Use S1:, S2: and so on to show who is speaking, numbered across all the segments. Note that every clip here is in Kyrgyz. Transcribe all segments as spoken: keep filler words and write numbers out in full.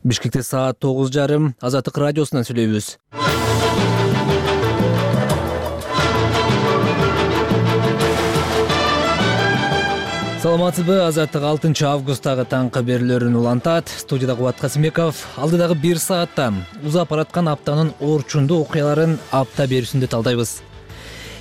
S1: Бишкекте саат тогуз жарым Азаттык радиосунан сүйлөйбүз. Саламатсызбы? Азаттык алтынчы августтагы таңкы берүүлөрүн улантат. Студияда Кубат Касымбеков. Алдыдагы бир саатта узап бараткан аптанын орчундуу окуяларын апта берүүсүндө талдайбыз.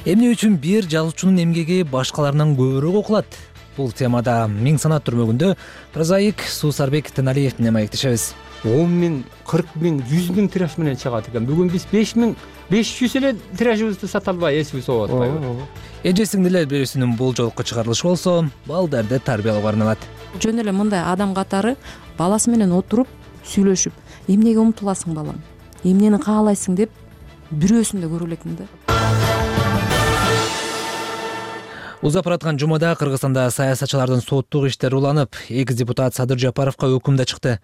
S1: Эмне үчүн бир жазуучунун эмгеги башкаларынан көбүрөөк окулат? Бул темада миң санат түрмөгүндө прозаик Суусарбек Теналиев менен маектешебиз.
S2: он миң, кырк миң, жүз миң тираж менен чыгат экен. Бүгүн биз беш миң, беш жүз эле тиражыбызды сата албай, эсибиз болуп атпайбы?
S1: Эже сиңдилер берүүсүнүн бул жолку чыгарылышы болсо, балдарды тарбиялоого арналат.
S3: Жөн эле мындай адам катары баласы менен отуруп, сүйлөшүп, эмнеге умтуласың балам, эмнени каалайсың деп бирөөсүн да көрө элекмин да.
S1: Узап бараткан жумада Кыргызстанда саясатчылардын соттук иштери уланып, экс депутат Садыр Жапаровго өкүм да чыкты.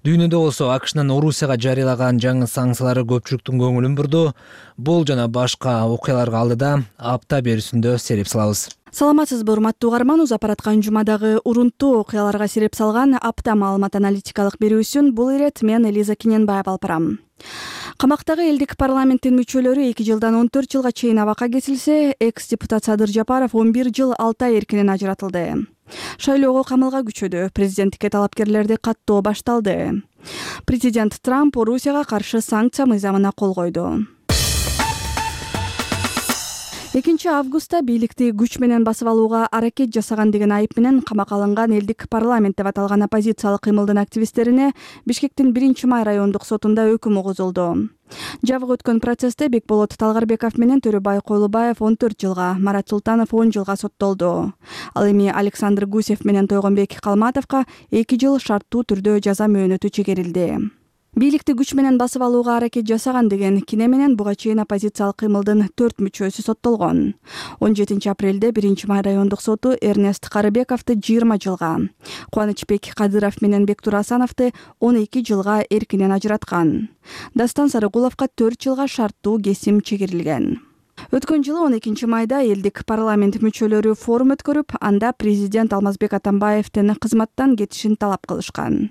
S1: Дүйнөдө болсо АКШнын Орусияга жарыялаган жаңы санкциялары көпчүлүктүн көңүлүн бурду. Бул жана башка окуяларга алдыда апта берүүсүндө сереп салабыз.
S4: Саламатсызбы, урматтуу угарман. Узап бараткан жумадагы урунттуу окуяларга сереп салган апта маалымат аналитикалык берүүсүн бул ирет мен Элиза Кененбаева алып барам. Камактагы элдик парламенттин мүчөлөрү эки жылдан он төрт жылга чейин абакка кесилсе, экс депутат Садыр Жапаров он бир жыл алты ай эркинен ажыратылды. Шайлоого камылга күчөдү, президенттикке талапкерлерди каттоо башталды. Президент Трамп Орусияга каршы санкция мыйзамына кол койду. экинчи августта бийликти күч менен басып алууга аракет жасаган деген айып менен камакка алынган элдик парламент деп аталган оппозициялык кыймылдын активисттерине Бишкектин биринчи май райондук сотунда өкүм угузулду. Жабык өткөн процессте Бекболот Талгарбеков менен Төрөбай Койлубаев он төрт жылга, Марат Султанов он жылга соттолду. Ал эми Александр Гусев менен Тойгонбек Калматовго эки жыл шарттуу түрдө жаза мөөнөтү чегерилди. Бийликти күч менен басып алууга аракет жасаган деген кине менен буга чейин оппозициялык кыймылдын төрт мүчөсү соттолгон. он жетинчи апрелде биринчи май райондук соту Эрнест Карыбековду жыйырма жылга, Кубанычбек Кадыров менен Бектур Асановду он эки жылга эркинен ажыраткан. Дастан Сарыгуловго төрт жылга шарттуу кесим чегерилген. Өткөн жылы он экинчи майда элдик парламент мүчөлөрү форум өткөрүп, анда президент Алмазбек Атамбаевдин кызматтан кетишин талап кылышкан.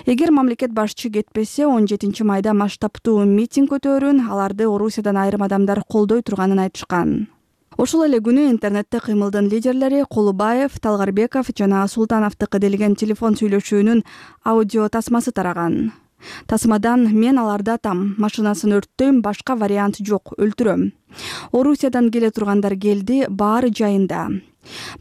S4: Эгер мамлекет башчы кетпесе, он жетинчи майда масштабтуу митинг өтөөрүн, аларды Орусиядан айрым адамдар колдой турганын айтышкан. Ошол эле күнү интернетте кыймылдын лидерлери Колубаев, Талгарбеков жана Султановдуку делген телефон сүйлөшүүнүн аудио тасмасы тараган. Тасмадан мен аларды атам, машинасын өрттөйм, башка вариант жок, өлтүрөм. Орусиядан келе тургандар келди, баары жайында.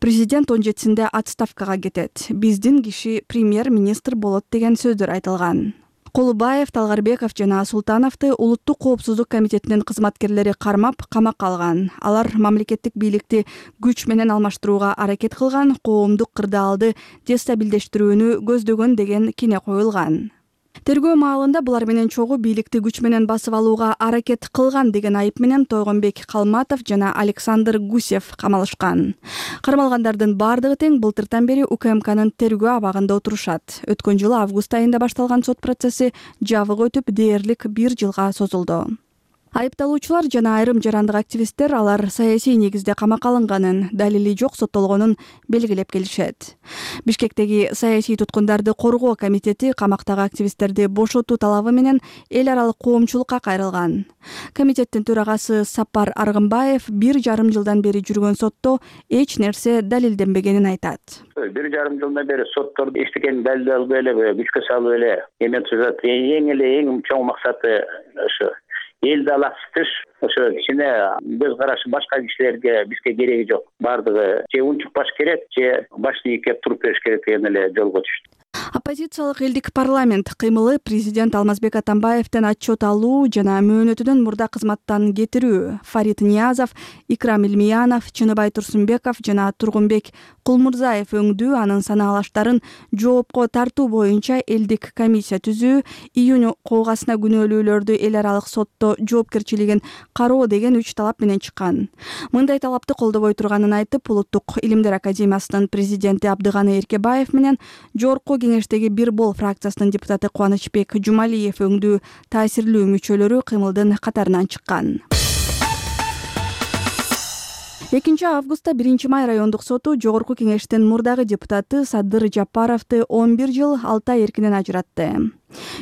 S4: Президент он жетисинде отставкага кетет. Биздин киши премьер-министр болот деген сөздөр айтылган. Колубаев, Талгарбеков жана Султановду Улуттук коопсуздук комитетинин кызматкерлери кармап, камакка алган. Алар мамлекеттик бийликти күч менен алмаштырууга аракет кылган, коомдук кырдаалды дестабилдештирүүнү көздөгөн деген кине коюлган. Тергөө маалында булар менен чогуу бийликти күч менен басып алууга аракет кылган деген айып менен Тойгонбек Калматов жана Александр Гусев камалышкан. Кармалгандардын бардыгы тең былтыртан бери УКМКнын тергөө абагында отурушат. Өткөн жылы август айында башталган сот процесси жабык өтүп, дээрлик бир жылга созулду. Айыпталуучулар жана айрым жарандык активисттер алар саясий негизде камакка алынганын, далили жок соттолгонун белгилеп келишет. Бишкектеги саясий туткундарды коргоо комитети камактагы активисттерди бошотуу талабы менен эл аралык коомчулукка кайрылган. Комитеттин төрагасы Сапар Аргымбаев бир жарым жылдан бери жүргөн сотто эч нерсе далилденбегенин айтат.
S5: Бир жарым жылдан бери сотторду эчтекени далилдей албай эле, күчкө салып эле эме түзөт. Эң эле эң чоң максаты ошо элди алаксытыш, ошо кичине көз карашы башка кишилерге бизге кереги жок. Бардыгы же унчукпаш керек, же башты ийкеп туруп бериш керек деген эле жолго түштү.
S4: Оппозициялык элдик парламент кыймылы президент Алмазбек Атамбаевден отчет алуу жана мөөнөтүнөн мурда кызматтан кетирүү. Фарид Ниязов, Икрам Илмиянов, Чыныбай Турсунбеков жана Тургунбек Кулмурзаев өңдүү анын санаалаштарын жоопко тартуу боюнча элдик комиссия түзүү, июнь куугасына күнөөлүүлөрдү эл аралык сотто жоопкерчилигин кароо деген үч талап менен чыккан. Мындай талапты колдобой турганын айтып, Улуттук илимдер академиясынын президенти Абдыганы Эркебаев менен жогорку кеңештеги Бир бол фракциясынын депутаты Кубанычбек Жумалиев өңдүү таасирлүү мүчөлөрү кыймылдын катарынан чыккан. экинчи августта биринчи май райондук соту жогорку кеңештин мурдагы депутаты Садыр Жапаровду он бир жыл алты ай эркинен ажыратты.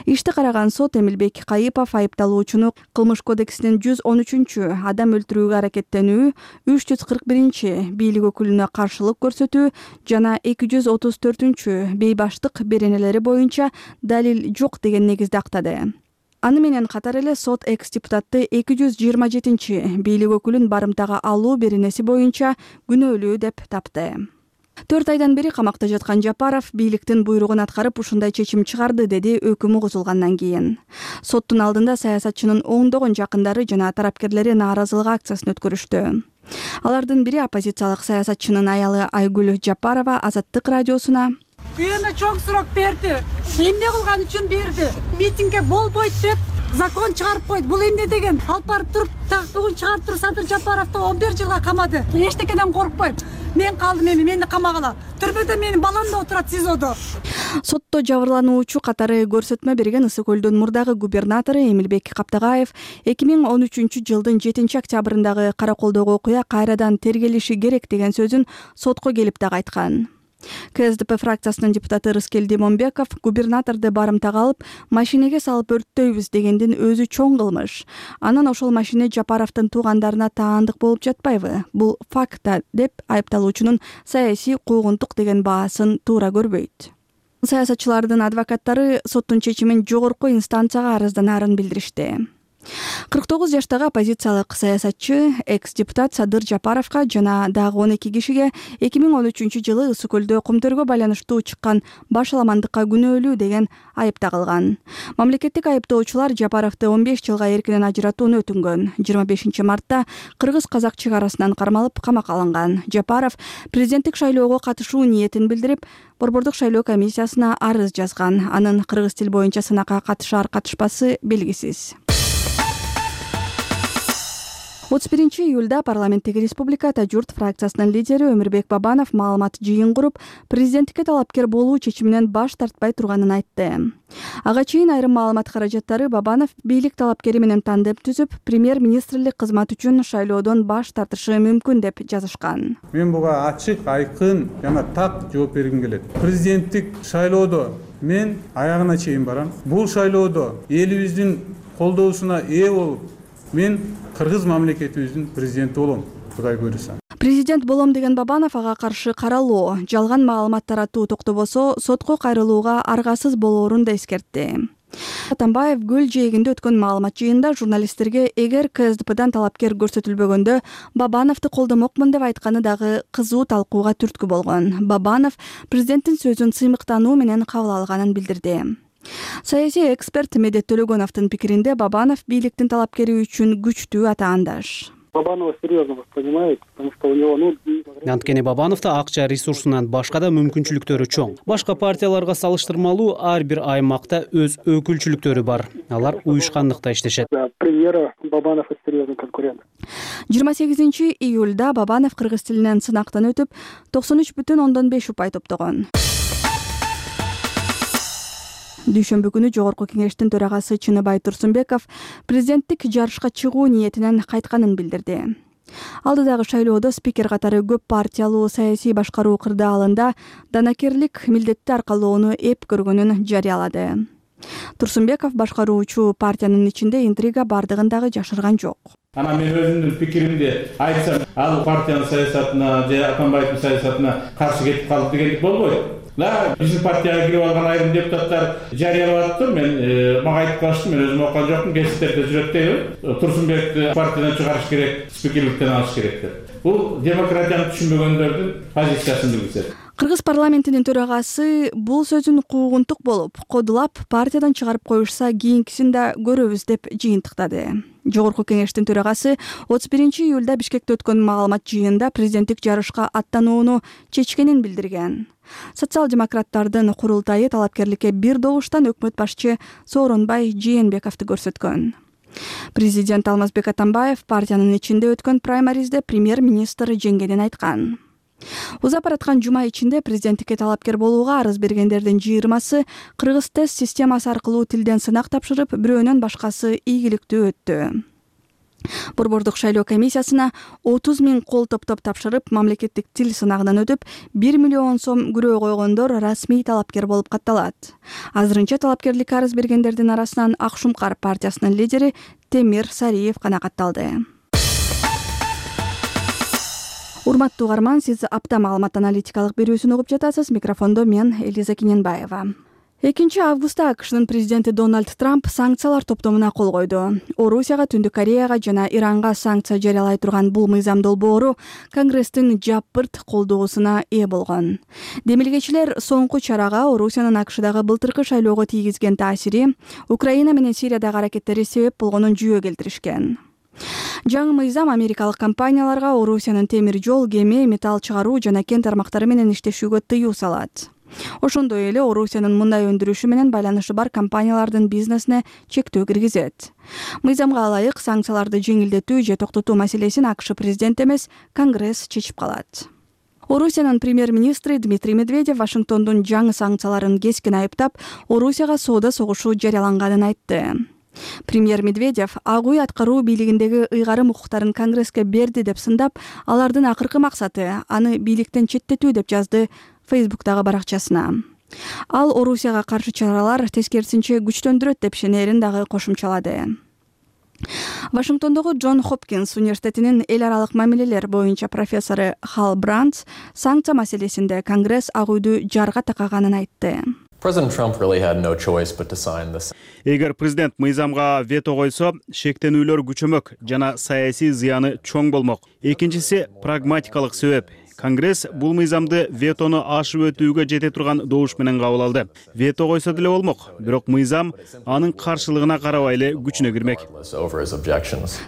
S4: Ишти караган сот Эмилбек Кайыпов айыпталуучуну Кылмыш кодексинин жүз он үчүнчү адам өлтүрүүгө аракеттенүү, үч жүз кырк биринчи бийлик өкүлүнө каршылык көрсөтүү жана эки жүз отуз төртүнчү бейбаштык беренелери боюнча далил жок деген негизде актады. Аны менен катар эле сот экс-депутатты эки жүз жыйырма жетинчи бийлик өкүлүн барымтага алуу беренеси боюнча күнөөлүү деп тапты. төрт айдан бери камакта жаткан Жапаров бийликтин буйругун аткарып ушундай чечим чыгарды, деди өкүм угузулгандан кийин. Соттун алдында саясатчынын оңдогон жакындары жана тарапкерлери нааразылык акциясын өткөрүштү. Алардын бири оппозициялык саясатчынын аялы Айгүл Жапарова Азаттык радиосуна:
S6: Үйөмө чоң сурок берди. Эмне кылган үчүн берди? Митингге болбойт деп закон чыгарып койду. Бул эмне деген? Алып барып туруп, бүгүн чыгарып туруп Садыр Жапаровду он бир жылга камады. Эчтекеден коркпойм. Мен калдым эми, мени камагыла. Түрмөдө менин балам да отурат СИЗОдо.
S4: Сотто жабырлануучу катары көрсөтмө берген Ысык көлдүн мурдагы губернатору Эмилбек Каптагаев эки миң он үчүнчү жылдын жетинчи октябрындагы Караколдогу окуя кайрадан тергелиши керек деген сөзүн сотко келип дагы айткан. КСДП фракциясынын депутаты Рыскел Демонбеков губернаторду барымтага алып, машинеге салып өрттөйбүз дегендин өзү чоң кылмыш. Анан ошол машине Жапаровдун туугандарына таандык болуп жатпайбы? Бул факт да, деп айыпталуучунун саясий куугунтук деген баасын туура көрбөйт. Саясатчылардын адвокаттары соттун чечимин жогорку инстанцияга арызданаарын билдиришти. кырк тогуз жаштагы оппозициялык саясатчы экс-депутат Садыр Жапаровго жана дагы он эки кишиге эки миң он үчүнчү жылы Ысык көлдө кумтөргө байланыштуу чыккан башаламандыкка күнөөлүү деген айып тагылган. Мамлекеттик айыптоочулар Жапаровду он беш жылга эркинен ажыратууну өтүнгөн. жыйырма бешинчи мартта кыргыз-казак чек арасынан кармалып камакка алынган. Жапаров президенттик шайлоого катышуу ниетин билдирип, Борбордук шайлоо комиссиясына арыз жазган. Анын кыргыз тил боюнча сынакка катышар катышпасы белгисиз. отуз биринчи июлда парламенттеги Республикада Журт фракциясынын лидери Өмүрбек Бабанов маалымат жыйын куруп, президенттикке талапкер болуу чечиминен баш тартпай турганын айтты. Ага чейин айрым маалымат каражаттары Бабанов бийлик талапкери менен тандем түзүп, премьер-министрлик кызмат үчүн шайлоодон баш тартышы мүмкүн деп жазышкан.
S7: Мен буга ачык, айкын жана так жооп бергим келет. Президенттик шайлоодо мен аягына чейин барам. Бул шайлоодо элибиздин колдоосуна ээ болуп, мен кыргыз мамлекетибиздин президенти болом, Кудай буйруса.
S4: Президент болом деген Бабанов ага каршы каралоо, жалган маалымат таратуу токтобосо сотко кайрылууга аргасыз болоорун да эскертти. Атамбаев Гүл жээгинде өткөн маалымат жыйында журналисттерге эгер КСДПдан талапкер көрсөтүлбөгөндө Бабановду колдомокмун деп айтканы дагы кызуу талкууга түрткү болгон. Бабанов президенттин сөзүн сыймыктануу менен кабыл алганын билдирди. Саясий эксперт Медет Төлөгөновдун пикиринде Бабанов бийликтин талапкери үчүн күчтүү атаандаш.
S8: Бабанова серьезно воспринимает, потому что у него, ну...
S9: Анткени Бабановдо акча ресурсунан башка да мүмкүнчүлүктөрү чоң. Башка партияларга салыштырмалуу ар бир аймакта өз өкүлчүлүктөрү бар. Алар уюшкандыкта иштешет.
S8: Да, премьера Бабанов серьезный конкурент.
S4: жыйырма сегизинчи июлда Бабанов кыргыз тилинен сынактан өтүп, токсон үч бүтүн ондон беш упай топтогон. Дүйшөмбү күнү Жогорку кеңештин төрагасы Чыныбай Турсунбеков президенттик жарышка чыгуу ниетинен кайтканын билдирди. Алдыдагы шайлоодо спикер катары көп партиялуу саясий башкаруу кырдаалында данакерлик милдетти аркалоону эп көргөнүн жарыялады. Турсунбеков башкаруучу партиянын ичинде интрига бардыгын дагы жашырган жок.
S10: Ана мен өзүмдүн пикиримди айтсам, ал партиянын саясатына же Атамбаевдин саясатына каршы кетип калды дегендик болбойт. Да, биздин партияга кирип алган айрым депутаттар жарыялап атты. Мен мага айтып калышты, мен өзүм окуган жокмун, гезиттерде жүрөт дейби. Турсунбекти партиядан чыгарыш керек, спикерликтен алыш керек деп. Бул демократияны түшүнбөгөндөрдүн позициясын билдирет.
S4: Кыргыз парламентинин төрагасы бул сөзүн куугунтук болуп, кодулап партиядан чыгарып коюшса кийинкисин да көрөбүз деп жыйынтыктады. Жогорку кеңештин төрагасы отуз биринчи июлда Бишкекте өткөн маалымат жыйынында президенттик жарышка аттанууну чечкенин билдирген. Социал-демократтардын курултайы талапкерликке бир добуштан өкмөт башчы Сооронбай Жээнбековду көрсөткөн. Президент Алмазбек Атамбаев партиянын ичинде өткөн праймаризде премьер-министр жеңгенин айткан. Узап бараткан жума ичинде президенттикке талапкер болууга арыз бергендердин жыйырмасы кыргыз тест системасы аркылуу тилден сынак тапшырып, бирөөнөн башкасы ийгиликтүү өттү. Борбордук шайлоо комиссиясына отуз миң кол топтоп тапшырып, мамлекеттик тил сынагынан өтүп, бир миллион сом күрөө койгондор расмий талапкер болуп катталат. Азырынча талапкерлик арыз бергендердин арасынан Ак Шумкар партиясынын лидери Темир Сариев канагатталды. Урматтуу угарман, сиз апта маалымат аналитикалык берүүсүн угуп жатасыз. Микрофондо мен Элиза Киненбаева. экинчи августта АКШнын президенти Дональд Трамп санкциялар топтомуна кол койду. Орусияга, Түндүк Кореяга жана Иранга санкция жарыялай турган бул мыйзам долбоору Конгресстин жапырт колдоосуна ээ болгон. Демилгечилер соңку чарага Орусиянын АКШдагы былтыркы шайлоого тийгизген таасири, Украина менен Сириядагы аракеттери себеп болгонун жүйө келтиришкен. Жаңы мыйзам америкалык компанияларга Орусиянын темир жол, кеме, металл чыгаруу жана кен тармактары менен иштешүүгө тыюу салат. Ошондой эле Орусиянын мындай өндүрүшү менен байланышы бар компаниялардын бизнесине чектөө киргизет. Мыйзамга ылайык санкцияларды жеңилдетүү же токтотуу маселесин АКШ президенти эмес, Конгресс чечип калат. Орусиянын премьер-министри Дмитрий Медведев Вашингтондун жаңы санкцияларын кескин айыптап, Орусияга соода согушу жарыяланганын айтты. Премьер Медведев Ак үй аткаруу бийлигиндеги ыйгарым укуктарын Конгресске берди деп сындап, алардын акыркы максаты аны бийликтен четтетүү деп жазды Фейсбуктагы баракчасына. Ал Орусияга каршы чаралар тескерисинче күчтөндүрөт деп ишенерин дагы кошумчалады. Вашингтондогу Джон Хопкинс университетинин эл аралык мамилелер боюнча профессору Хал Брандс санкция маселесинде Конгресс Ак үйдү жарга такаганын айтты.
S11: Эгер президент мыйзамга вето койсо, шектенүүлөр күчөмөк жана саясий зыяны чоң болмок. Экинчиси прагматикалык себеп. Конгресс бул мыйзамды ветону ашып өтүүгө жете турган добуш менен кабыл алды. Вето койсо деле болмок, бирок мыйзам анын каршылыгына карабай эле күчүнө кирмек.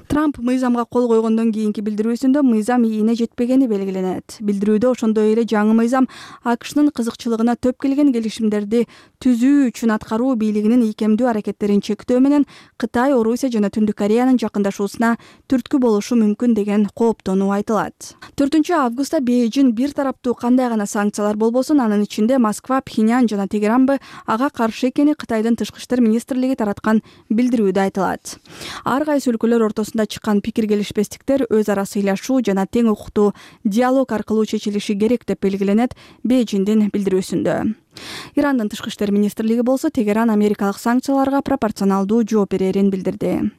S4: Трамп мыйзамга кол койгондон кийинки билдирүүсүндө мыйзам ийине жетпегени белгиленет. Билдирүүдө ошондой эле жаңы мыйзам АКШнын кызыкчылыгына төп келген келишимдерди түзүү үчүн аткаруу бийлигинин ийкемдүү аракеттерин чектөө менен Кытай, Орусия жана Түндүк Кореянын жакындашуусуна түрткү болушу мүмкүн деген кооптонуу айтылат. төртүнчү августта Бейжин бир тараптуу кандай гана санкциялар болбосун, анын ичинде Москва, Пхеньян жана Тегеранбы ага каршы экени Кытайдын тышкы иштер министрлиги тараткан билдирүүдө айтылат. Ар кайсы өлкөлөр ортосунда чыккан пикир келишпестиктер өз ара сыйлашуу жана тең укуктуу диалог аркылуу чечилиши керек деп белгиленет Бейжиндин билдирүүсүндө. Ирандын тышкы иштер министрлиги болсо Тегеран америкалык санкцияларга пропорционалдуу жооп берерин билдирди.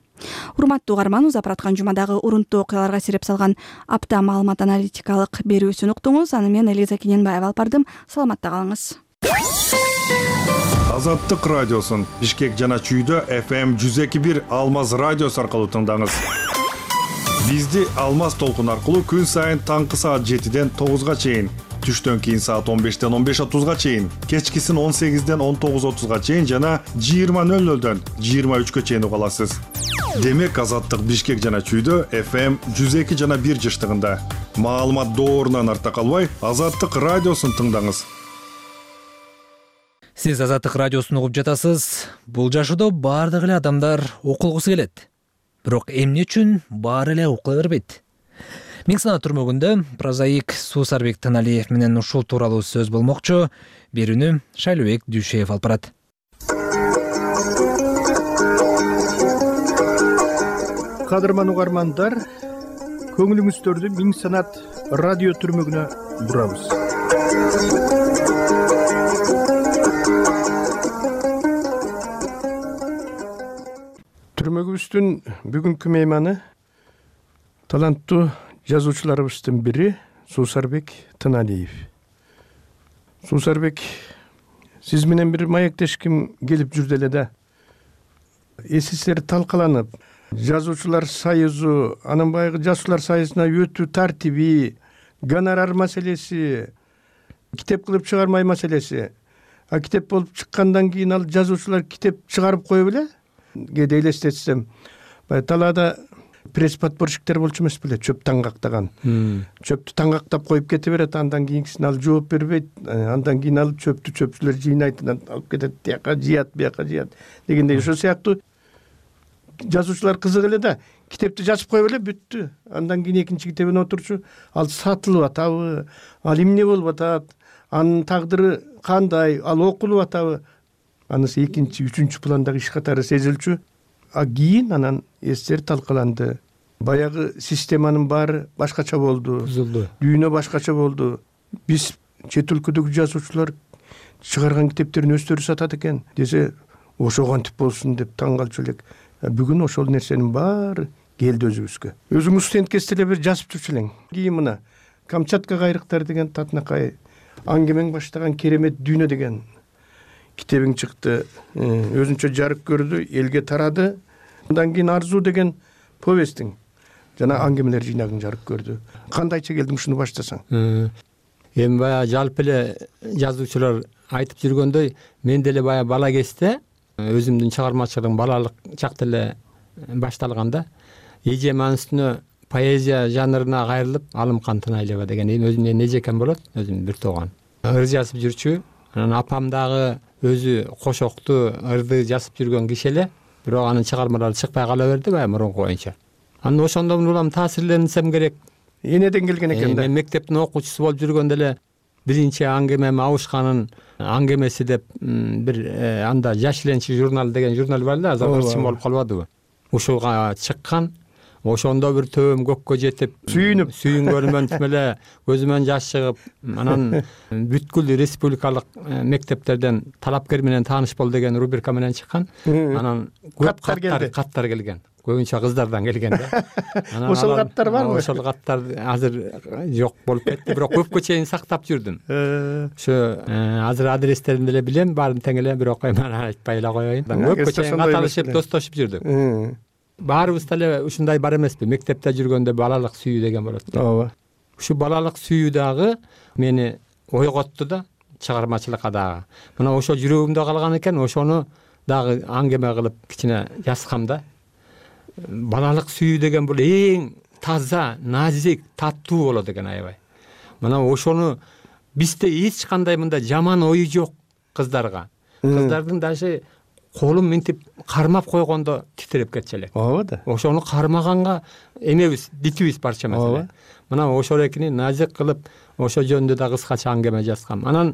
S4: Урматтуу угарман, узап бараткан жумадагы урунттуу окуяларга сереп салган апта маалымат аналитикалык берүүсүн уктуңуз. Аны мен Элиза Киненбаева алып бардым. Саламатта калыңыз.
S12: Азаттык радиосун Бишкек жана Чүйдө эф эм жүз эки бир Алмаз радиосу аркылуу тыңдаңыз. Бизди Алмаз толкун аркылуу күн сайын таңкы саат жетиден тогузга чейин, түштөн кийин саат он бештен он беш отузга чейин, кечкисин он сегизден он тогуз отузга чейин жана жыйырма нөл нөлдөн жыйырма үчкө чейин уга аласыз. Демек Азаттык Бишкек жана Чүйдө эф эм жүз эки жана бир жыштыгында. Маалымат доорунан арта калбай, Азаттык радиосун тыңдаңыз.
S1: Сиз Азаттык радиосун угуп жатасыз. Бул жашоодо баардык эле адамдар окулгусу келет. Бирок эмне үчүн баары эле окула бербейт? Миң санаа түрмөгүндө прозаик Суусарбек Тыналиев менен ушул тууралуу сөз болмокчу. Берүүнү Шайлообек Дүйшеев алып барат.
S13: Кадырман угармандар, көңүлүңүздөрдү Миң санат радио түрмөгүнө бурабыз. Түрмөгүбүздүн бүгүнкү мейманы таланттуу жазуучуларыбыздын бири Суусарбек Тыналиев. Суусарбек, сиз менен бир маектешким келип жүрдү эле да. Эсиңиздер талкаланып, жазуучулар союзу, анын баягы жазуучулар союзуна өтүү тартиби, гонорар маселеси, китеп кылып чыгармай маселеси. А китеп болуп чыккандан кийин ал жазуучулар китеп чыгарып коюп эле. Кээде элестетсем, баягы талаада пресс-подборщиктер болчу эмес беле, чөп таңгактаган. Чөптү таңгактап коюп кете берет, андан кийинкисин ал жооп бербейт, андан кийин алып чөптү чөпчүлөр жыйнайт, алып кетет, тияка жыят, бияка жыят дегендей. Ошол сыяктуу жазуучулар кызык эле да, китепти жазып коюп эле бүттү. Андан кийин экинчи китебин отурчу, ал сатылып атабы, ал эмне болуп атат, анын тагдыры кандай, ал окулуп атабы, анысы экинчи, үчүнчү пландагы иш катары сезилчү. А кийин анан эстер талкаланды. баягы системанын баары башкача болду,
S2: бузулду,
S13: дүйнө башкача болду. Биз чет өлкөдөгү жазуучулар чыгарган китептерин өздөрү сатат экен десе, ошо кантип болсун деп таң калчу элек. Бүгүн ошол нерсенин баары келди өзүбүзгө. Өзүңүз студентке эле бир жазып жүрчү элең. Кийин мына Камчатка кайрыктар деген татынакай аңгемең баштаган керемет дүйнө деген китебиң чыкты. Өзүнчө жарык көрдү, элге тарады. Андан кийин Арзуу деген повестиң жана аңгемелер жыйнагың жарык көрдү. Кандайча келдиң ушуну баштасаң?
S2: Эми баягы жалпы эле жазуучулар айтып жүргөндөй, мен деле баягы бала кезде өзүмдүн чыгармачылыгым балалык чакта эле башталганда, эжем анын үстүнө поэзия жанрына кайрылып, Алым Кантын Айлеба деген өзүмдүн эжекем болот, өзүм бир тууган. Ыр жазып жүрчү. Анан апам дагы өзү кошокту, ырды жазып жүргөн киши эле, бирок анын чыгармалары чыкпай кала берди баягы мурунку боюнча. Анан ошондон улам таасирленсем керек.
S13: Энеден келген экен да.
S2: Мен мектептин окуучусу болуп жүргөндө эле биринчи аңгемем Абышканын аңгемеси деп бир анда Жаш Ленчи журналы деген журнал бар эле, азыр ырчым болуп калбадыбы? Ушуга чыккан. Ошондо бир төбөм көккө жетип,
S13: сүйүнүп,
S2: сүйүнгөнүмөн тим эле көзүмөн жаш чыгып, анан бүткүл республикалык мектептерден талапкер менен тааныш бол деген рубрика менен чыккан. Анан көп каттар каттар келген. Көбүнчө кыздардан келген да.
S13: Ошол каттар барбы?
S2: Ошол каттар азыр жок болуп кетти, бирок көпкө чейин сактап жүрдүм. Ошо азыр адрестерин деле билем, баарын тең эле, бирок мен айтпай эле коеюн. Көпкө чейин каталышып, достошуп жүрдүк. Баарыбыз деле ушундай бар эмеспи? Мектепте жүргөндө балалык сүйүү деген болот.
S13: Ооба.
S2: Ушу балалык сүйүү дагы мени ойготту да, чыгармачылыкка дагы. Мына ошо жүрөгүмдө калган экен, ошону дагы аңгеме кылып кичине жазсам да. Балалык сүйүү деген бул эң таза, назик, таттуу болот экен аябай. Мына ошону бизде эч кандай мындай жаман ою жок кыздарга. Кыздардын даже колун минтип кармап койгондо титиреп кетчү элек.
S13: Ооба да.
S2: Ошону кармаганга эмебиз, дитибиз барча эмес. Мына ошол экини назик кылып, ошо жөнүндө да кыскача аңгеме жазгам. Анан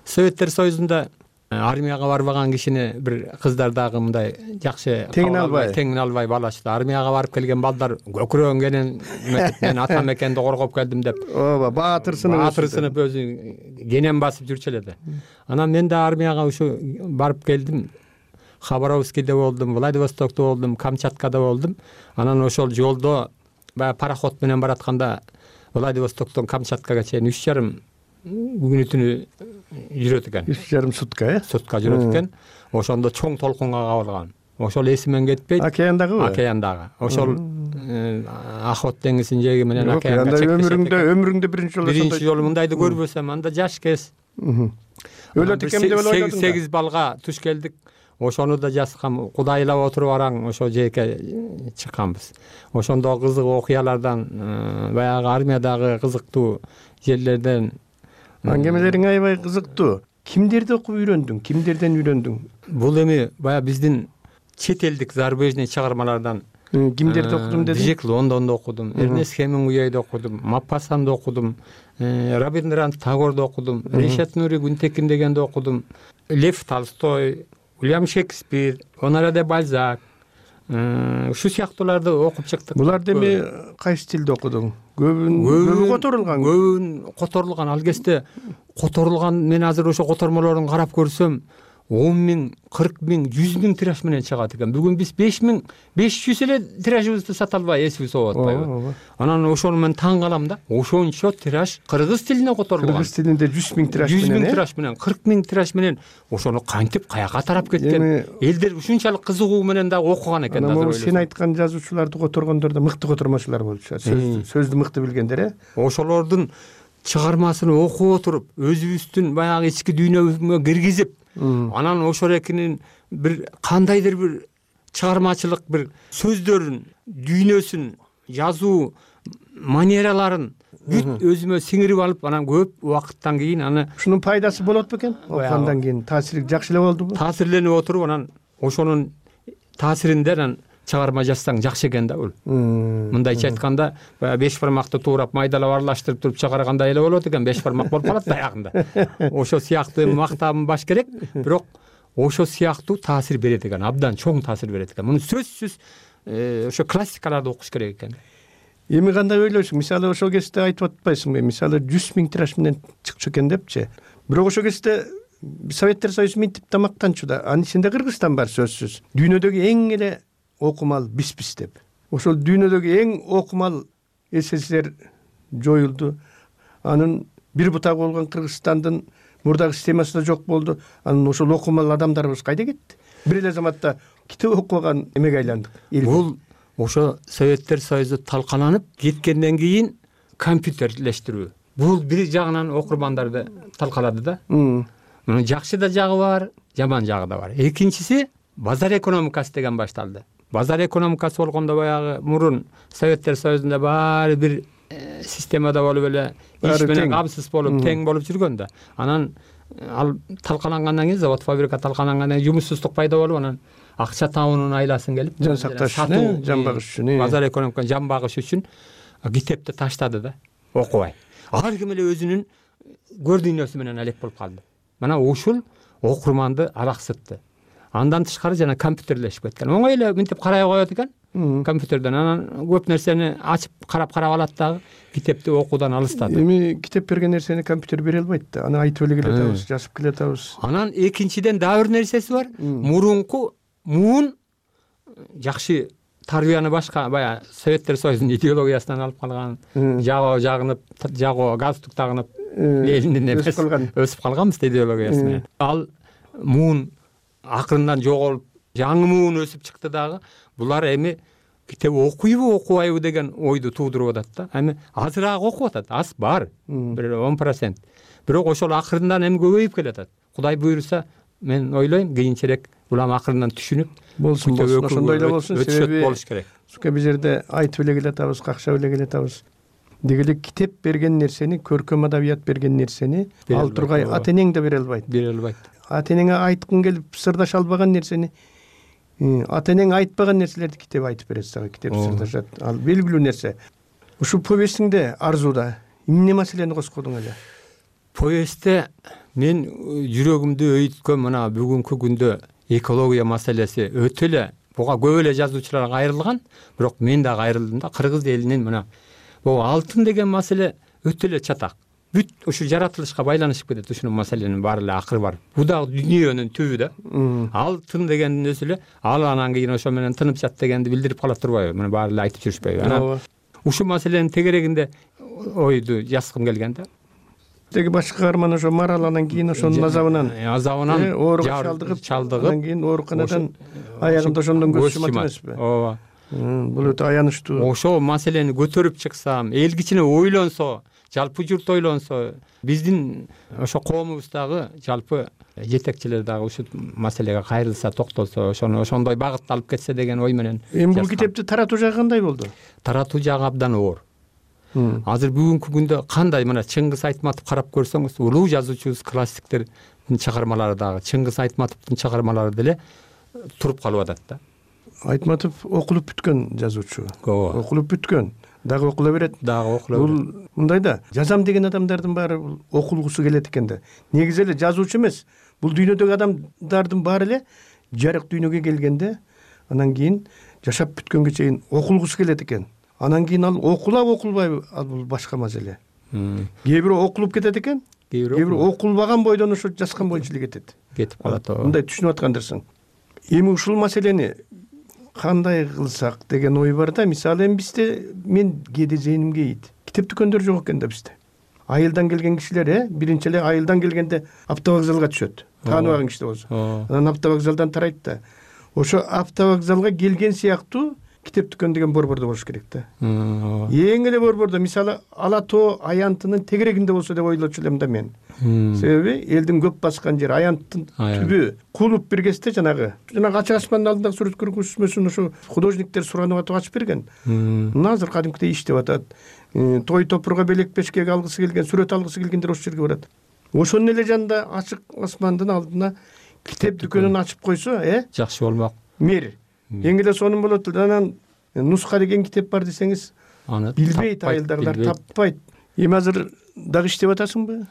S2: Советтер Союзунда армияга барбаган кишини бир кыздар дагы мындай жакшы
S13: теңин албай,
S2: теңин албай балашты. Армияга барып келген балдар көкүрөнгенин мен ата мекенди коргоп келдим деп.
S13: Ооба, баатыр сынып,
S2: баатыр сынып өзү кенен басып жүрчү эле да. Анан мен да армияга ушу барып келдим. Хабаровскийде болдум, Владивостокто болдум, Камчаткада болдум. Анан ошол жолдо баягы пароход менен баратканда Владивостоктон Камчаткага чейин үч жарым күнү түнү жүрөт экен.
S13: үч жарым сутка, э?
S2: Сутка жүрөт экен. Ошондо чоң толкунга кабылган. Ошол эсимен кетпейт.
S13: Океандагыбы?
S2: Океандагы. Ошол Ахот деңизинин жээги менен океанга чекти.
S13: Өмүрүңдө, өмүрүңдө биринчи жолу
S2: ошондой. Биринчи жолу мындайды көрбөсөм, анда жаш кез.
S13: Өлөт экен деп эле ойладым.
S2: сегиз балга туш келдик. Ошону да жазгам, кудайлап отуруп араң ошо жээкке чыкканбыз. Ошондо кызык окуялардан, баягы армиядагы кызыктуу жерлерден
S13: аңгемелериң аябай кызыктуу. Кимдерди окуп үйрөндүң? Кимдерден үйрөндүң?
S2: Бул эми баягы биздин чет элдик зарубежный чыгармалардан
S13: кимдерди окудум дедиң?
S2: Джек Лондонду окудум, Эрнест Хемингуэйди окудум, Маппасанды окудум, Рабиндранат Тагорду окудум, Ришат Нури Гүнтекин дегенди окудум, Лев Толстой, Уильям Шекспир, Оноре де Бальзак, ушу сыяктууларды окуп чыктык.
S13: Буларды эми кайсы тилде окудуң? Көбүн көбү которулган.
S2: Көбүн которулган. Ал кезде которулган, мен азыр ошо котормолорун карап көрсөм, он миң, кырк миң, жүз миң тираж менен чыгат экен. Бүгүн биз беш миң, беш жүз эле тиражыбызды сата албай эсибиз болуп атпайбы? Анан ошону мен таң калам да. Ошончо тираж кыргыз тилине которулган.
S13: Кыргыз тилинде жүз миң тираж менен,
S2: жүз миң тираж менен, кырк миң тираж менен ошону кантип каяка тарап кеткен? Элдер ушунчалык кызыгуу менен дагы окуган экен да.
S13: Анан сен айткан жазуучуларды которгондор да мыкты котормочулар болчу. Сөздү мыкты билгендер, э?
S2: Ошолордун чыгармасын окуп отуруп, өзүбүздүн баягы ички дүйнөбүзгө киргизип, анан ошол экинин бир кандайдыр бир чыгармачылык бир сөздөрүн, дүйнөсүн, жазуу манераларын бүт өзүмө сиңирип алып, анан көп убакыттан кийин аны
S13: ушунун пайдасы болот бекен? Окугандан кийин таасири жакшы эле болдубу?
S2: Таасирленип отуруп, анан ошонун таасиринде анан чыгарма жазсаң жакшы экен да бул. Мындайча айтканда, беш бармакты туурап майдалап аралаштырып туруп чыгаргандай эле болот экен, беш бармак болуп калат аягында. Ошо сыяктуу мактабым баш керек, бирок ошо сыяктуу таасир берет экен, абдан чоң таасир берет экен. Муну сөзсүз ошо классикаларды окуш керек экен.
S13: Эми кандай ойлойсуң? Мисалы ошол кезде айтып атпайсыңбы? Мисалы жүз миң тираж менен чыкчу экен депчи. Бирок ошол кезде Советтер Союзу минтип да мактанчу да. Анын ичинде Кыргызстан бар сөзсүз. Дүйнөдөгү эң эле окумал бизбиз деп. Ошол дүйнөдөгү эң окумал СССР жоюлду. Анын бир бутагы болгон Кыргызстандын мурдагы системасы да жок болду. Анын ошол окумал адамдарыбыз кайда кетти? Бир эле заматта китеп окуган эмеге айландык.
S2: Бул ошо Советтер Союзу талкаланып кеткенден кийин компьютерлештирүү. Бул бир жагынан окурмандарды талкалады да. Мунун жакшы да жагы бар, жаман жагы да бар. Экинчиси базар экономикасы деген башталды. Базар экономикасы болгондо баягы мурун Советтер Союзунда баары бир системада болуп эле иш менен камсыз болуп тең болуп жүргөн да. Анан ал талкалангандан кийин, завод фабрика талкалангандан кийин жумушсуздук пайда болуп, анан акча табуунун айласын келип,
S13: жан сакташ үчүн, жан багыш үчүн,
S2: базар экономиканы жан багыш үчүн китепти таштады да, окубай. Ар ким эле өзүнүн көр дүйнөсү менен алек болуп калды. Мына ушул окурманды алаксытты. Андан тышкары жана компьютерлешип кеткен. Оңой эле мынтип карай коет экен компьютерден. Анан көп нерсени ачып карап-карап алат дагы, китепти окуудан алыстады.
S13: Эми китеп берген нерсени компьютер бере албайт да. Аны айтып эле келатабыз, жазып келатабыз.
S2: Анан экинчиден дагы бир нерсеси бар. Мурунку муун жакшы тарбияны башка баягы Советтер Союзунун идеологиясынан алып калган, жаго жагынып, жаго галстук тагынып, Лениндин эмес өсүп калганбыз идеологиясына. Ал муун акырындан жоголуп, жаңы муун өсүп чыкты дагы. Булар эми китеп окуйбу, окубайбы деген ойду туудуруп атат да. Эми азыраак окуп атат, аз бар, бир он процент. Бирок ошол акырындан эми көбөйүп келатат. Кудай буйруса, мен ойлойм, кийинчерээк улам акырындан түшүнүп
S13: болсун, болсун, ошондой эле болсун.
S2: Себеби болуш керек.
S13: Сука биз жерде айтып эле келатабыз, какшап эле келатабыз. Деги эле китеп берген нерсени, көркөм адабият берген нерсени ал тургай ата энең да бере албайт.
S2: Бере албайт.
S13: Ата энеңе айткың келип сырдаша албаган нерсени ата энең айтпаган нерселерди китеп айтып берет сага, китеп сырдашат. Ал белгилүү нерсе. Ушул повестиңде Арзууда эмне маселени коскодуң эле?
S2: Повестте мен жүрөгүмдү өйүткөн мына бүгүнкү күндө экология маселеси өтө эле, буга көп эле жазуучулар кайрылган, бирок мен да кайрылдым да. Кыргыз элинин мына бул алтын деген маселе өтө эле чатак. Бүт ушу жаратылышка байланышып кетет, ушунун маселенин баары эле акыры бар. Бул да дүйнөнүн түбү да. Алтын дегендин өзү эле ал анан кийин ошо менен тынып жат дегенди билдирип кала турбайбы? Мына баары эле айтып жүрүшпөйбү? Анан ушул маселенин тегерегинде ойду жазгым келген да.
S13: Теги башкы каарман ошо Марал анан кийин ошонун азабынан
S2: азабынан
S13: ооруга чалдыгып, чалдыгып, анан кийин ооруканадан аягында ошондон көз шумат эмеспи?
S2: Ооба.
S13: Бул өтө аянычтуу.
S2: Ошол маселени көтөрүп чыксам, эл кичине ойлонсо, жалпы журт ойлонсо, биздин ошо коомубуздагы жалпы жетекчилер дагы ушул маселеге кайрылса, токтолсо, ошону ошондой багытта алып кетсе деген ой менен.
S13: Эми бул китепти таратуу жагы кандай болду?
S2: Таратуу жагы абдан оор. Азыр бүгүнкү күндө кандай, мына Чыңгыз Айтматов карап көрсөңүз, улуу жазуучубуз, классиктердин чыгармалары дагы Чыңгыз Айтматовдун чыгармалары деле туруп калып атат да.
S13: Айтматов окулуп бүткөн жазуучу.
S2: Ооба.
S13: Окулуп бүткөн. Дагы окула берет.
S2: Дагы окула берет.
S13: Бул мындай да, жазам деген адамдардын баары окулгусу келет экен да. Негизи эле жазуучу эмес. Бул дүйнөдөгү адамдардын баары эле жарык дүйнөгө келгенде, анан кийин жашап бүткөнгө чейин окулгусу келет экен. Анан кийин ал окулап окулбайбы, ал бул башка маселе. Кээ бирөө окулуп кетет экен, кээ бирөө окулбаган бойдон ошо жазган боюнча эле кетет.
S2: Кетип калат.
S13: Мындай түшүнүп аткандырсың. Эми ушул маселени кандай кылсак деген ой бар да. Мисалы эми бизде мен кээде зээнимге ийит. Китеп дүкөндөр жок экен да бизде. Айылдан келген кишилер, э, биринчи эле айылдан келгенде автовокзалга түшөт. Тааныбаган киши болсо. Анан автовокзалдан тарайт да. Ошо автовокзалга келген сыяктуу китеп дүкөн деген борбордо болуш керек да. Эң эле борбордо, мисалы Ала тоо Аянтынын тегерегинде болсо деп ойлочу элем да мен. Себеби элдин көп баскан жери Аянттын түбү. Кулуп бир кезде жанагы, жанагы ачык асмандын алдындагы сүрөт көргөзмөсүн ошо художниктер суранып атып ачып берген. Мына азыр кадимкидей иштеп атат. Той топурга белек пешкеге алгысы келген, сүрөт алгысы келгендер ошол жерге барат. Ошонун эле жанында ачык асмандын алдына китеп дүкөнүн ачып койсо, э?
S2: Жакшы болмок.
S13: Мир. Эң эле сонун болот. Анан нуска деген китеп бар десеңиз, аны билбейт, айылдагылар таппайт. Эми азыр дагы иштеп атасыңбы?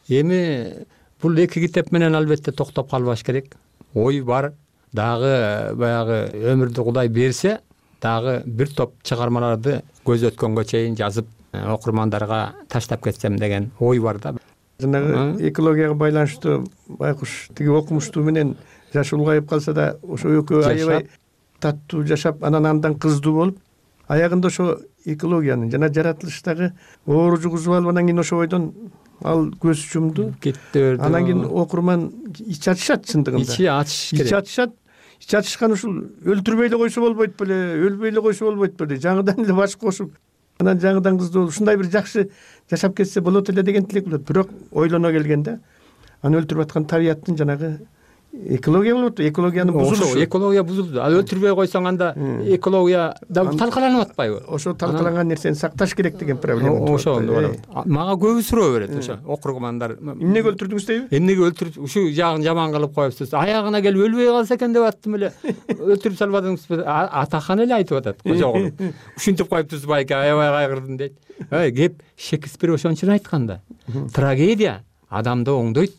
S2: Эми бул эки китеп менен албетте токтоп калбаш керек. Ой бар. Дагы баягы өмүрдү Кудай берсе, дагы бир топ чыгармаларды көз өткөнгө чейин жазып окурмандарга таштап кетсем деген ой бар да.
S13: Жанагы экологияга байланыштуу байкуш тиги окумуштуу менен жашы улгайып калса да ошо экөө аябай таттуу жашап, анан андан кыздуу болуп, аягында ошо экологиянын жана жаратылыштагы оор жугузуп алып, анан кийин ошо бойдон ал көз жумду кетти. Анан кийин окурман ич ачышат чындыгында.
S2: Ичи ачыш керек.
S13: Ич ачышат. Ич ачышкан ушул өлтүрбөй эле койсо болбойт беле, өлбөй эле койсо болбойт беле, жаңыдан эле баш кошуп, анан жаңыдан кыздуу болуп, ушундай бир жакшы жашап кетсе болот эле деген тилек болот. Бирок ойлоно келгенде аны өлтүрүп аткан табияттын жанагы экология болуп атпайбы? Экологиянын бузулушу.
S2: Ошо экология бузулду. Ал өлтүрбөй койсоң анда экология да талкаланып атпайбы?
S13: Ошо талкаланган нерсени сакташ керек деген проблема.
S2: Ошо мага көбү суроо берет ошо окурмандар.
S13: Эмнеге өлтүрдүңүз дейби?
S2: Эмнеге өлтүрүп, ушу жагын жаман кылып коюпсуз. Аягына келип өлбөй калса экен деп аттым эле. Өлтүрүп салбадыңызбы? Атахан эле айтып атат. Кожогул. Ушинтип коюптуз байке, аябай кайгырдым дейт. Эй, кеп Шекспир ошончун айткан да. Трагедия адамды оңдойт.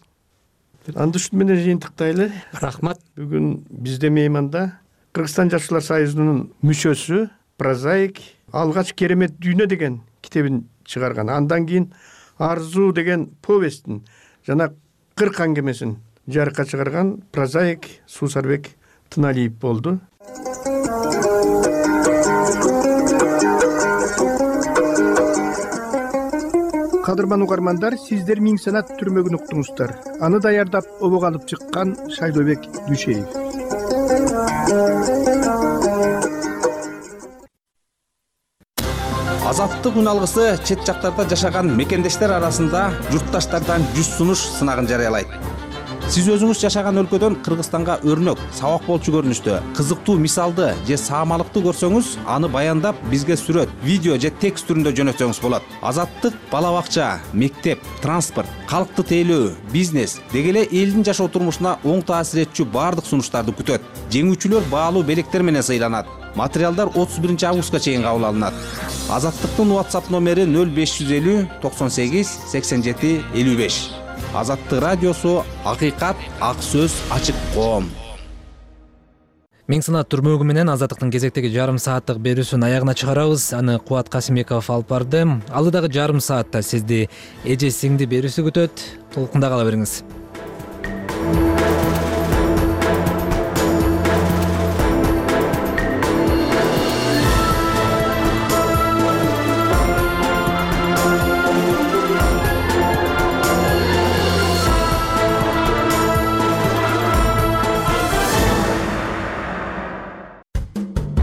S13: Анды ушун менен жыйынтыктайлы.
S2: Рахмат.
S13: Бүгүн бизде мейманда Кыргызстан Жашуулар союзунун мүчөсү, прозаик, алгач керемет дүйнө деген китебин чыгарган. Андан кийин Арзуу деген повестин жана кырк аңгемесин жарыкка чыгарган прозаик Суусарбек Тыналиев болду. Кадырман угармандар, сиздер Миң санат түрмөгүн уктуңуздар. Аны даярдап обого алып чыккан Шайлообек Дүйшеев.
S14: Азаттык үн алгысы чет жактарда жашаган мекендештер арасында журтташтардан жүз сунуш сынагын жарыялайт. Сиз өзүңүз жашаган өлкөдөн Кыргызстанга өрнөк, сабак болчу көрүнүштө, кызыктуу мисалды же саамалыкты көрсөңүз, аны баяндап бизге сүрөт, видео же текст түрүндө жөнөтсөңүз болот. Азаттык бала бакча, мектеп, транспорт, калкты тейлөө, бизнес деги эле элдин жашоо турмушуна оң таасир этчү баардык сунуштарды күтөт. Жеңүүчүлөр баалуу белектер менен сыйланат. Материалдар отуз биринчи августка чейин кабыл алынат. Азаттыктын WhatsApp номери нөл беш жүз элүү токсон сегиз сексен жети элүү беш. Азаттык радиосу, акыйкат, ак сөз, ачык коом.
S1: Миң санат түрмөгү менен Азаттыктын кезектеги жарым сааттык берүүсүн аягына чыгарабыз. Аны Кубат Касымбеков алып барды. Алдыдагы жарым саатта сизди эже сиңди берүүсү күтөт. Толкунда кала бериңиз.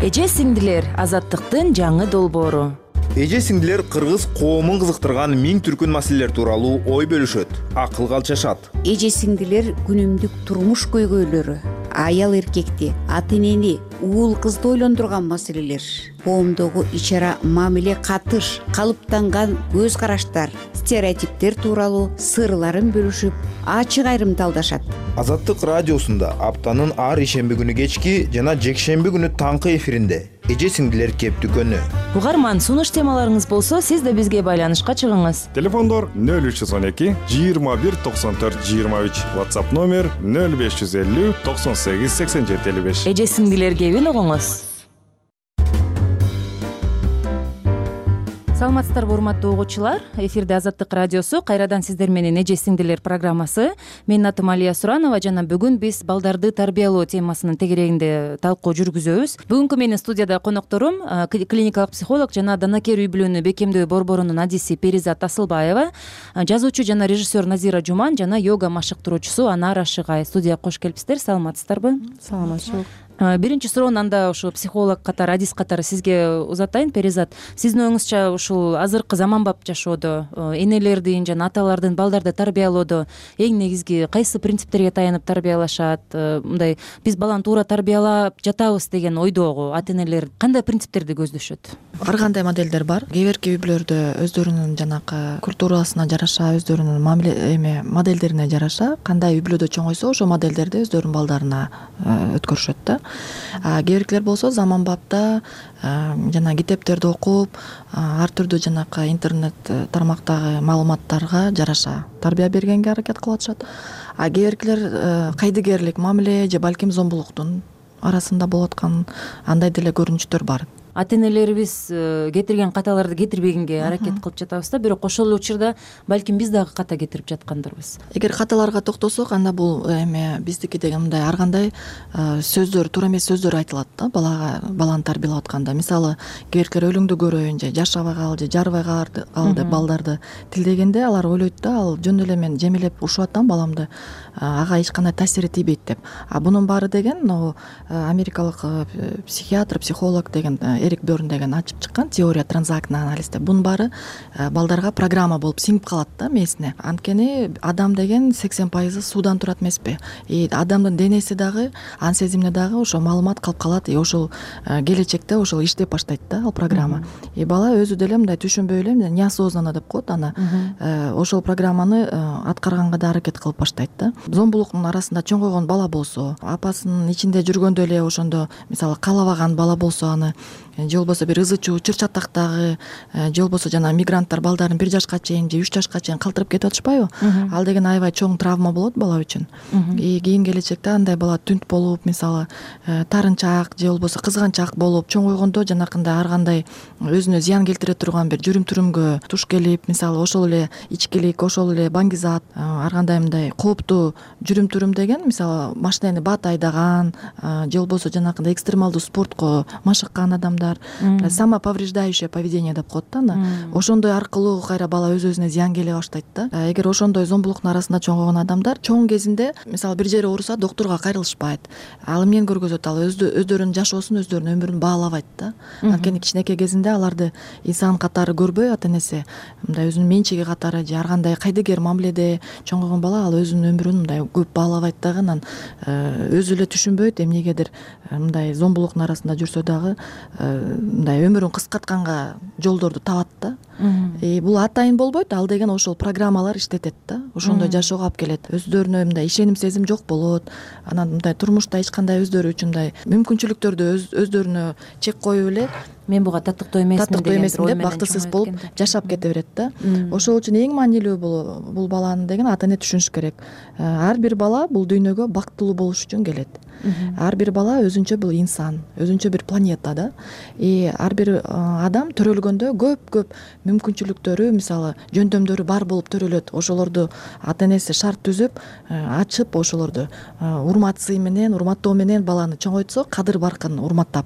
S15: Эже сиңдилер, азаттыктын жаңы долбоору.
S16: Эже сиңдилер кыргыз коомун кызыктырган миң түркүн маселелер тууралуу ой бөлүшөт, акылга алчашат.
S17: Эже сиңдилер күнүмдүк турмуш көйгөйлөрү, аял эркекти, ата энени, уул кызды ойлондурган маселелер, коомдогу ич ара мамиле катыш, калыптанган көз караштар, стереотиптер тууралуу сырларын бөлүшүп, ачык айрым талдашат.
S16: Азаттык радиосунда аптанын ар ишемби күнү кечки жана жекшемби күнү таңкы эфиринде эже сиңдилер кеп дүкөнү.
S15: Угарман, сунуш темаларыңыз болсо, сиз да бизге байланышка чыгыңыз.
S12: Телефондор нөл үч жүз он эки жыйырма бир токсон төрт жыйырма үч, WhatsApp номер нөл беш жүз элүү токсон сегиз сексен жети элүү беш.
S15: Эже сиңдилер кебин угуңуз. Саламатсыздарбы урматтуу угуучулар, эфирде Азаттык радиосу, кайрадан сиздер менен эже сиңдилер программасы. Менин атым Алия Суранова жана бүгүн биз балдарды тарбиялоо темасынын тегерегинде талкуу жүргүзөбүз. Бүгүнкү менин студияда конокторум клиникалык психолог жана данакер үй бүлөнү бекемдөө борборунун адиси Перизат Асылбаева, жазуучу жана режиссер Назира Жуман жана йога машыктыруучусу Анара Шыгай. Студияга кош келипсиздер. Саламатсыздарбы?
S3: Саламатчылык.
S15: Биринчи суроону анда ушу психолог катары, адис катары сизге узатайын. Перизат, сиздин оюңузча ушул азыркы заманбап жашоодо энелердин жана аталардын балдарды тарбиялоодо эң негизги кайсы принциптерге таянып тарбиялашат? Мындай биз баланы туура тарбиялап жатабыз деген ойдогу ата энелер кандай принциптерди көздөшөт?
S3: Ар кандай моделдер бар. Кээ бирки үй бүлөлөрдө өздөрүнүн жанакы культурасына жараша, өздөрүнүн мамиле эме моделдерине жараша кандай үй бүлөдө чоңойсо, ошол моделдерди өздөрүнүн балдарына өткөрүшөт да. Кээ биркилер болсо заманбапта жана китептерди окуп, ар түрдүү жанакы интернет тармактагы маалыматтарга жараша тарбия бергенге аракет кылып атышат. А кээ биркилер кайдыгерлик мамиле же балким зомбулуктун арасында болуп аткан андай деле көрүнүштөр бар.
S15: Ата энелерибиз кетирген каталарды кетирбегенге аракет кылып жатабыз да, бирок ошол эле учурда балким биз дагы ката кетирип жаткандырбыз.
S3: Эгер каталарга токтосок, анда бул эме биздики деген мындай ар кандай сөздөр, туура эмес сөздөр айтылат да балага, баланы тарбиялап атканда. Мисалы, кээбиркер өлүңдү көрөйүн же жашабай кал же жарбай кал деп балдарды тилдегенде алар ойлойт да, ал жөн эле мен жемелеп урушуп атам баламды, ага эч кандай таасири тийбейт деп. А бунун баары деген могу америкалык психиатр, психолог деген Эрик Бёрн деген ачып чыккан теория транзактный анализ деп. Бунун баары балдарга программа болуп сиңип калат да мээсине. Анткени адам деген сексен пайызы суудан турат эмеспи? И адамдын денеси дагы, ан сезимине дагы ошо маалымат калып калат. И ошол келечекте ошол иштеп баштайт да ал программа. И бала өзү деле мындай түшүнбөй эле неосознанно деп коет аны. Ошол программаны аткарганга да аракет кылып баштайт да. Зомбулуктун арасында чоңойгон бала болсо, апасынын ичинде жүргөндө эле ошондо мисалы каалабаган бала болсо аны, же болбосо бир ызы чуу чыр чатактагы, же болбосо жана мигранттар балдарын бир жашка чейин же үч жашка чейин калтырып кетип атышпайбы? Ал деген аябай чоң травма болот бала үчүн. И кийин келечекте андай бала түнт болуп, мисалы тарынчаак же болбосо кызганчаак болуп чоңойгондо жанакындай ар кандай өзүнө зыян келтире турган бир жүрүм-турумгө туш келип, мисалы ошол эле ичкилик, ошол эле баңгизат, ар кандай мындай кооптуу жүрүм-турум деген, мисалы машинени бат айдаган же болбосо жанакындай экстремалдуу спортко машыккан адамдар, самоповреждающее поведение деп коет да аны. Ошондой аркылуу кайра бала өз-өзүнө зыян келе баштайт да. Эгер ошондой зомбулуктун арасында чоңойгон адамдар чоң кезинде мисалы бир жери ооруса доктурга кайрылышпайт. Ал эмнени көргөзөт? Ал өздөрүнүн жашоосун, өздөрүнүн өмүрүн баалабайт да. Анткени кичинекей кезинде аларды инсан катары көрбөй, ата энеси мындай өзүнүн менчиги катары же ар кандай кайдыгер мамиледе чоңойгон бала ал өзүнүн өмүрүн мындай көп баалабайт дагы, анан өзү эле түшүнбөйт эмнегедир мындай зомбулуктун арасында жүрсө дагы мындай өмүрүн кыскартканга жолдорду табат да. И бул атайын болбойт, ал деген ошол программалар иштетет да. Ошондой жашоого алып келет. Өздөрүнө мындай ишеним сезим жок болот. Анан мындай турмушта эч кандай өздөрү үчүн мындай мүмкүнчүлүктөрдү өздөрүнө чек коюп эле
S15: мен буга татыктуу эмесмин
S3: татыктуу эмесмин деп бактысыз болуп жашап кете берет да. Ошол үчүн эң маанилүү бул бул баланы деген ата эне түшүнүш керек. Ар бир бала бул дүйнөгө бактылуу болуш үчүн келет. Ар бир бала өзүнчө бул инсан, өзүнчө бир планета да. И ар бир адам төрөлгөндө көп-көп мүмкүнчүлүктөрү, мисалы жөндөмдөрү бар болуп төрөлөт. Ошолорду ата энеси шарт түзүп, ачып, ошолорду урмат сый менен, урматтоо менен баланы чоңойтсо, кадыр баркын урматтап,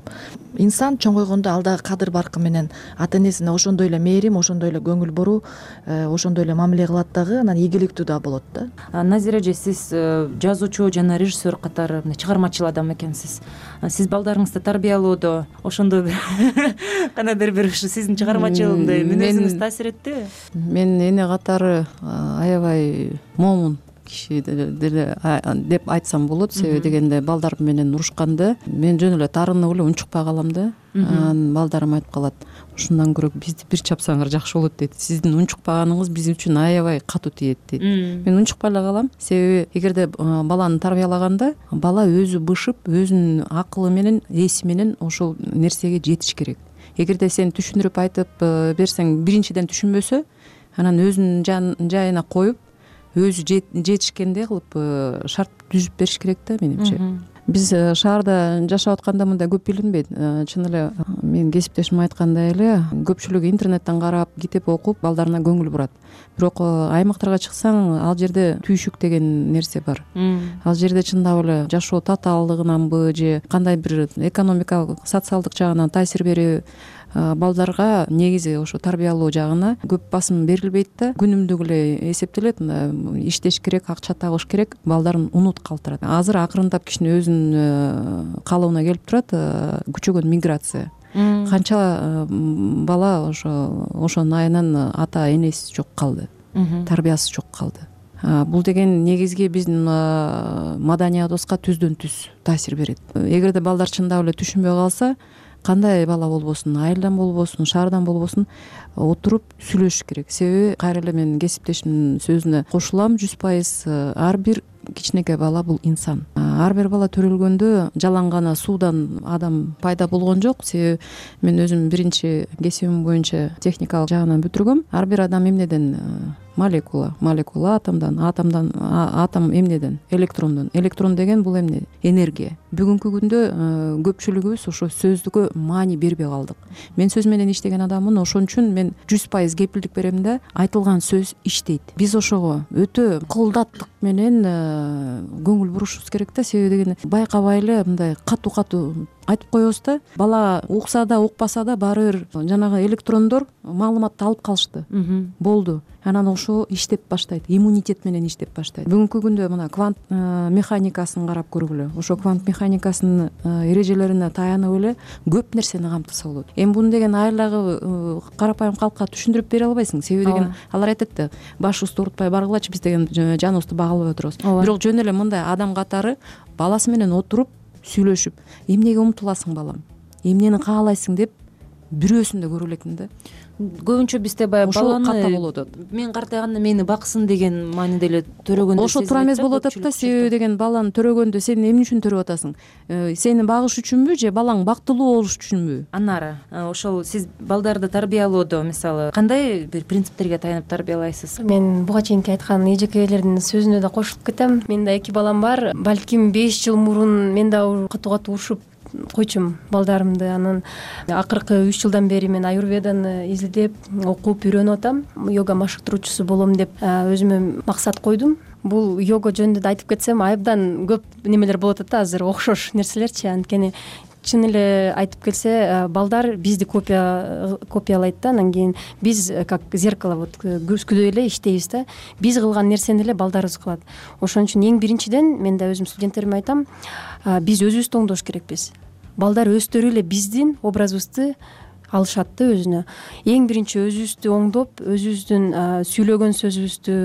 S3: инсан чоңойгондо ал дагы кадыр баркы менен ата энесине ошондой эле мээрим, ошондой эле көңүл буруу, ошондой эле мамиле кылат дагы, анан ийгиликтүү да болот да.
S15: Назира эже, сиз жазуучу жана режиссер катары чыгармачыл адам экенсиз. Сиз балдарыңызды тарбиялоодо ошондой бир кандайдыр бир ушу сиздин чыгармачылыгындай мүнөзүңүз таасир эттиби?
S18: Мен эне катары аябай момун киши деле деп айтсам болот. Себеби дегенде балдар менен урушканда мен жөн эле тарынып эле унчукпай калам да. Анан балдарым айтып калат, ушундан көрө бизди бир чапсаңар жакшы болот дейт. Сиздин унчукпаганыңыз биз үчүн аябай катуу тиет дейт. Мен унчукпай эле калам. Себеби эгерде баланы тарбиялаганда бала өзү бышып, өзүнүн акылы менен, эси менен ошол нерсеге жетиш керек. Эгерде сен түшүндүрүп айтып берсең, биринчиден түшүнбөсө, анан өзүнүн жайына коюп, өзү жетишкендей кылып шарт түзүп бериш керек да менимче. Биз шаарда жашап атканда мындай көп билинбейт. Чын эле менин кесиптешим айткандай эле көпчүлүгү интернеттен карап, китеп окуп, балдарына көңүл бурат. Бирок аймактарга чыксаң, ал жерде түйшүк деген нерсе бар. Ал жерде чындап эле жашоо татаалдыгынанбы же кандай бир экономикалык, социалдык жагынан таасир берүү балдарга негизи ошо тарбиялоо жагына көп басым берилбейт да. Күнүмдүк эле эсептелет, иштеш керек, акча табыш керек, балдарын унут калтырат. Азыр акырындап кичине өзүнүн калыбына келип турат күчөгөн миграция. Канча бала ошо ошонун айынан ата энеси жок калды, тарбиясы жок калды. Бул деген негизги биздин маданиятыбызга түздөн түз таасир берет. Эгерде балдар чындап эле түшүнбөй калса, кандай бала болбосун, айылдан болбосун, шаардан болбосун, отуруп сүйлөшүш керек. Себеби кайра эле мен кесиптешимдин сөзүнө кошулам, жүз пайыз ар бир кичинекей бала бул инсан. Ар бир бала төрөлгөндө жалаң гана суудан адам пайда болгон жок. Себеби мен өзүм биринчи кесибим боюнча техникалык жагынан бүтүргөм. Ар бир адам эмнеден молекула молекула атомдон атомдон атом эмнеден электрондон электрон деген бул эмне энергия. Бүгүнкү күндө көпчүлүгүбүз ошо сөздүккө маани бербей калдык. Мен сөз менен иштеген адаммын, ошон үчүн мен жүз пайыз кепилдик берем да, айтылган сөз иштейт. Биз ошого өтө кылдаттык менен көңүл бурушубуз керек да, себеби деген байкабай эле мындай катуу катуу айтып коебуз да. Бала укса да укпаса да баары бир жанагы электрондор маалыматты алып калышты. Болду. Анан ошо иштеп баштайт, иммунитет менен иштеп баштайт. Бүгүнкү күндө мына квант механикасын карап көргүлө. Ошо квант механикасынын эрежелерине таянып эле көп нерсени камтыса болот. Эми буну деген айлагы карапайым калкка түшүндүрүп бере албайсың. Себеби деген алар айтат да, башыбызды оорутпай баргылачы, биз деген жаныбызды багалап отурабыз. Бирок жөн эле мындай адам катары баласы менен отуруп сүйлөшүп, эмнеге умтуласың балам, эмнени каалайсың деп бирөөсүн да көрө элекмин да.
S15: Көбүнчө бизде баягы баланы
S18: ката болуп атат.
S15: Мен картайганда мени баксын деген мааниде эле төрөгөндө
S18: ошо туура эмес болуп атат да. Себеби деген баланы төрөгөндө сен эмне үчүн төрөп атасың? Сени багыш үчүнбү же балаң бактылуу болуш үчүнбү?
S15: Анары ошол сиз балдарды тарбиялоодо мисалы кандай бир принциптерге таянып тарбиялайсыз?
S19: Мен буга чейинки айткан эжекелердин сөзүнө да кошулуп кетем. Менин да эки балам бар. Балким беш жыл мурун мен да катуу катуу урушуп койчумун балдарымды. Анан акыркы үч жылдан бери мен аюрведаны изилдеп окуп үйрөнүп атам. Йога машыктыруучусу болом деп өзүмө максат койдум. Бул йога жөнүндө айтып кетсем абдан көп немелер болуп атат да, азыр окшош нерселерчи. Анткени чын эле айтып келсе, балдар бизди копия копиялайт да. Анан кийин биз как зеркало вот күзгүдөй эле иштейбиз да. Биз кылган нерсени эле балдарыбыз кылат. Ошон үчүн эң биринчиден мен да өзүм студенттериме айтам, биз өзүбүздү оңдош керекпиз. Балдар өздөрү эле биздин образыбызды алышат да өзүнө. Эң биринчи өзүбүздү оңдоп, өзүбүздүн сүйлөгөн сөзүбүздү,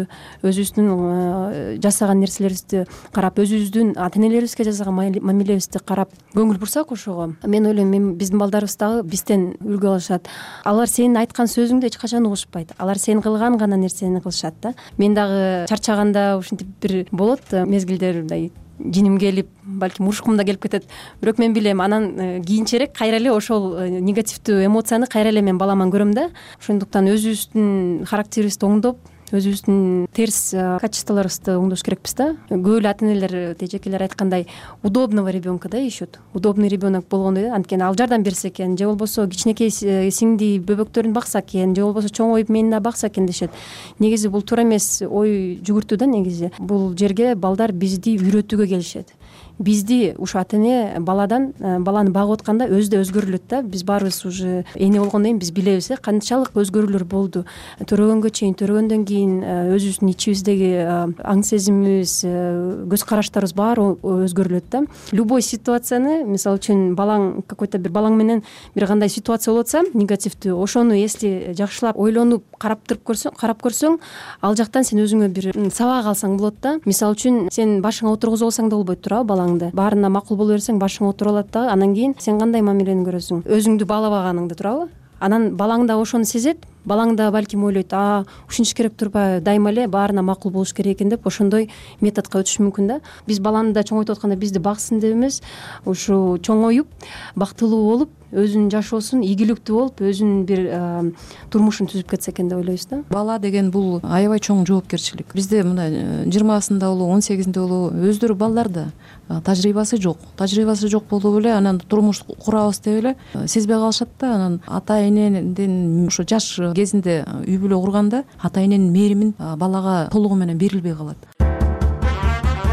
S19: өзүбүздүн жасаган нерселерибизди карап, өзүбүздүн ата-энелерибизге жасаган мамилебизди карап көңүл бурсак ошого, мен ойлойм, биздин балдарыбыз дагы бизден үлгү алышат. Алар сенин айткан сөзүңдү эч качан угушпайт. Алар сен кылган гана нерсени кылышат да. Мен дагы чарчаганда ушинтип бир болот мезгилдер, мындай жиним келип, балким урушкум да келип кетет. Бирок мен билем, анан кийинчерээк кайра эле ошол негативдүү эмоцияны кайра эле мен баламан көрөм да. Ошондуктан өзүбүздүн характерибизди оңдоп, өзүбүздүн терс качестволорубузду оңдош керекпиз да. Көп эле ата-энелер, эжекелер айткандай, удобного ребенка да ишет. Удобный ребенок болгондой да. Анткени ал жардам берсе экен, же болбосо кичинекей сиңди бөбөктөрүн бакса экен, же болбосо чоңоюп мени бакса экен дешет. Негизи бул туура эмес ой жүгүртүү да. Негизи бул жерге балдар бизди үйрөтүүгө келишет. Бизди ушу ата-эне баладан баланы багып атканда өзү да өзгөрүлөт да. Биз баарыбыз уже эне болгондон кийин биз билебиз, канчалык өзгөрүүлөр болду. Төрөгөнгө чейин, төрөгөндөн кийин өзүбүздүн ичибиздеги аң сезимибиз, көз караштарыбыз баары өзгөрүлөт да. Любой ситуацияны, мисалы үчүн балаң какой-то бир балаң менен бир кандай ситуация болуп атса, негативдүү, ошону если жакшылап ойлонуп карап туруп көрсөң, карап көрсөң, ал жактан сен өзүңө бир сабак алсаң болот да. Мисалы үчүн сен башыңа отургузуп алсаң да болбойт, туурабы, балаң баарына макул боло берсең башыңа отуруп алат да. Анан кийин сен кандай мамилени көрөсүң? Өзүңдү баалабаганыңды, туурабы? Анан балаң да ошону сезет. Балаң да балким ойлойт, а ушинтиш керек турбайбы, дайыма эле баарына макул болуш керек экен деп ошондой методко өтүш мүмкүн да. Биз баланы да чоңойтуп атканда бизди баксын деп эмес, ушу чоңоюп, бактылуу болуп, өзүнүн жашоосун ийгиликтүү болуп, өзүнүн бир турмушун түзүп кетсе экен деп ойлойбуз да.
S18: Бала деген бул аябай чоң жоопкерчилик. Бизде мына жыйырмасында болобу, он сегизинде болобу, өздөрү балдар да тажрыйбасы жок. Тажрыйбасы жок болуп эле анан турмуш курабыз деп эле сезбей калышат да. Анан ата-энеден ошо жаш кезинде үй бүлө курганда ата-эненин мээримин балага толугу менен берилбей калат.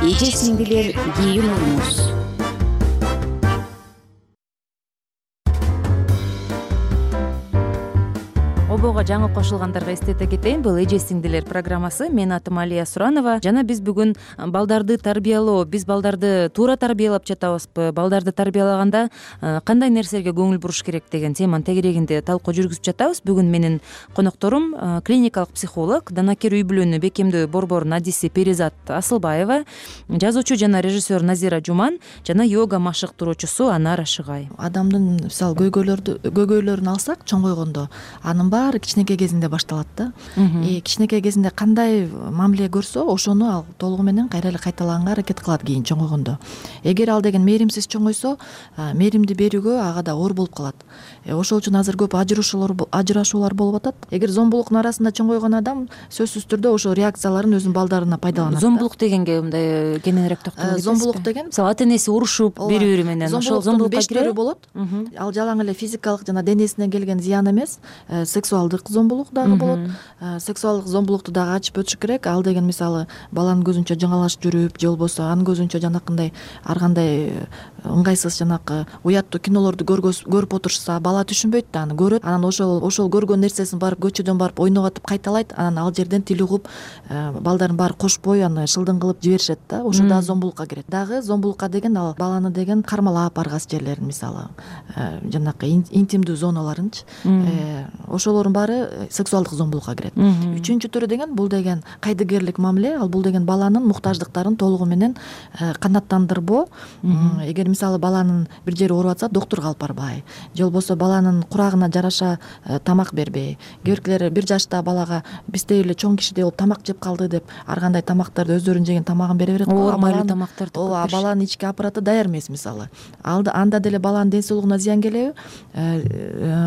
S17: Эже сиңдилер, кийин болуңуз.
S15: Обого жаңы кошулгандарга эстете кетейин, бул эже сиңдилер программасы. Менин атым Алия Суранова. Жана биз бүгүн балдарды тарбиялоо, биз балдарды туура тарбиялап жатабызбы, балдарды тарбиялаганда кандай нерселерге көңүл буруш керек деген теманын тегерегинде талкуу жүргүзүп жатабыз. Бүгүн менин конокторум клиникалык психолог, данакер үй бүлөнү бекемдөө борборунун адиси Перизат Асылбаева, жазуучу жана режиссер Назира Жуман жана йога машыктыруучусу Анар Ашыгай.
S3: Адамдын мисалы көйгөйлөрдү көйгөйлөрүн алсак чоңойгондо, анын баары баары кичинекей кезинде башталат да. Кичинекей кезинде кандай мамиле көрсө ошону ал толугу менен кайра эле кайталаганга аракет кылат кийин чоңойгондо. Эгер ал деген мээримсиз чоңойсо, мээримди берүүгө ага да оор болуп калат. Ошол үчүн азыр көп ажырашуулар болуп атат. Эгер зомбулуктун арасында чоңойгон адам сөзсүз түрдө ошол реакцияларын өзүнүн балдарына пайдаланат.
S15: Зомбулук дегенге мындай кененирээк токтоло кетесизби?
S3: Зомбулук деген
S15: мисалы ата энеси урушуп бири-бири менен ошол зомбулукка
S3: беш түрү болот. Ал жалаң эле физикалык жана денесине келген зыян эмес, сексуалдык зомбулук дагы болот. Сексуалдык зомбулукту дагы ачып өтүш керек. Ал деген мисалы баланын көзүнчө жаңалаш жүрүп, же болбосо анын көзүнчө жанакындай ар кандай ыңгайсыз жанакы уяттуу кинолорду көрүп отурушса, бала түшүнбөйт да, аны көрөт. Анан ошол ошол көргөн нерсесин барып көчөдөн барып ойноготуп кайталайт. Анан ал жерден тил угуп, балдарын баары кошпой аны шылдың кылып жиберишет да. Ошо дагы зомбулукка кирет. Дагы зомбулукка деген ал баланы деген кармалап баргас жерлерин, мисалы жанакы интимдүү зоналарынчы, ошолордун баары сексуалдык зомбулукка кирет. Үчүнчү түрү деген бул деген кайдыгерлик мамиле. Ал бул деген баланын муктаждыктарын толугу менен канааттандырбоо. Эгер мисалы баланын бир жери ооруп атса, доктурга алып барбай, же болбосо баланын курагына жараша тамак бербей. Кээбиркилер бир жашта балага биздей эле чоң кишидей болуп тамак жеп калды деп ар кандай тамактарды өздөрүнүн жеген тамагын бере берет.
S15: Оор майлуу тамактарды.
S3: Ооба, баланын ички аппараты даяр эмес мисалы. Анда деле баланын ден соолугуна зыян келеби?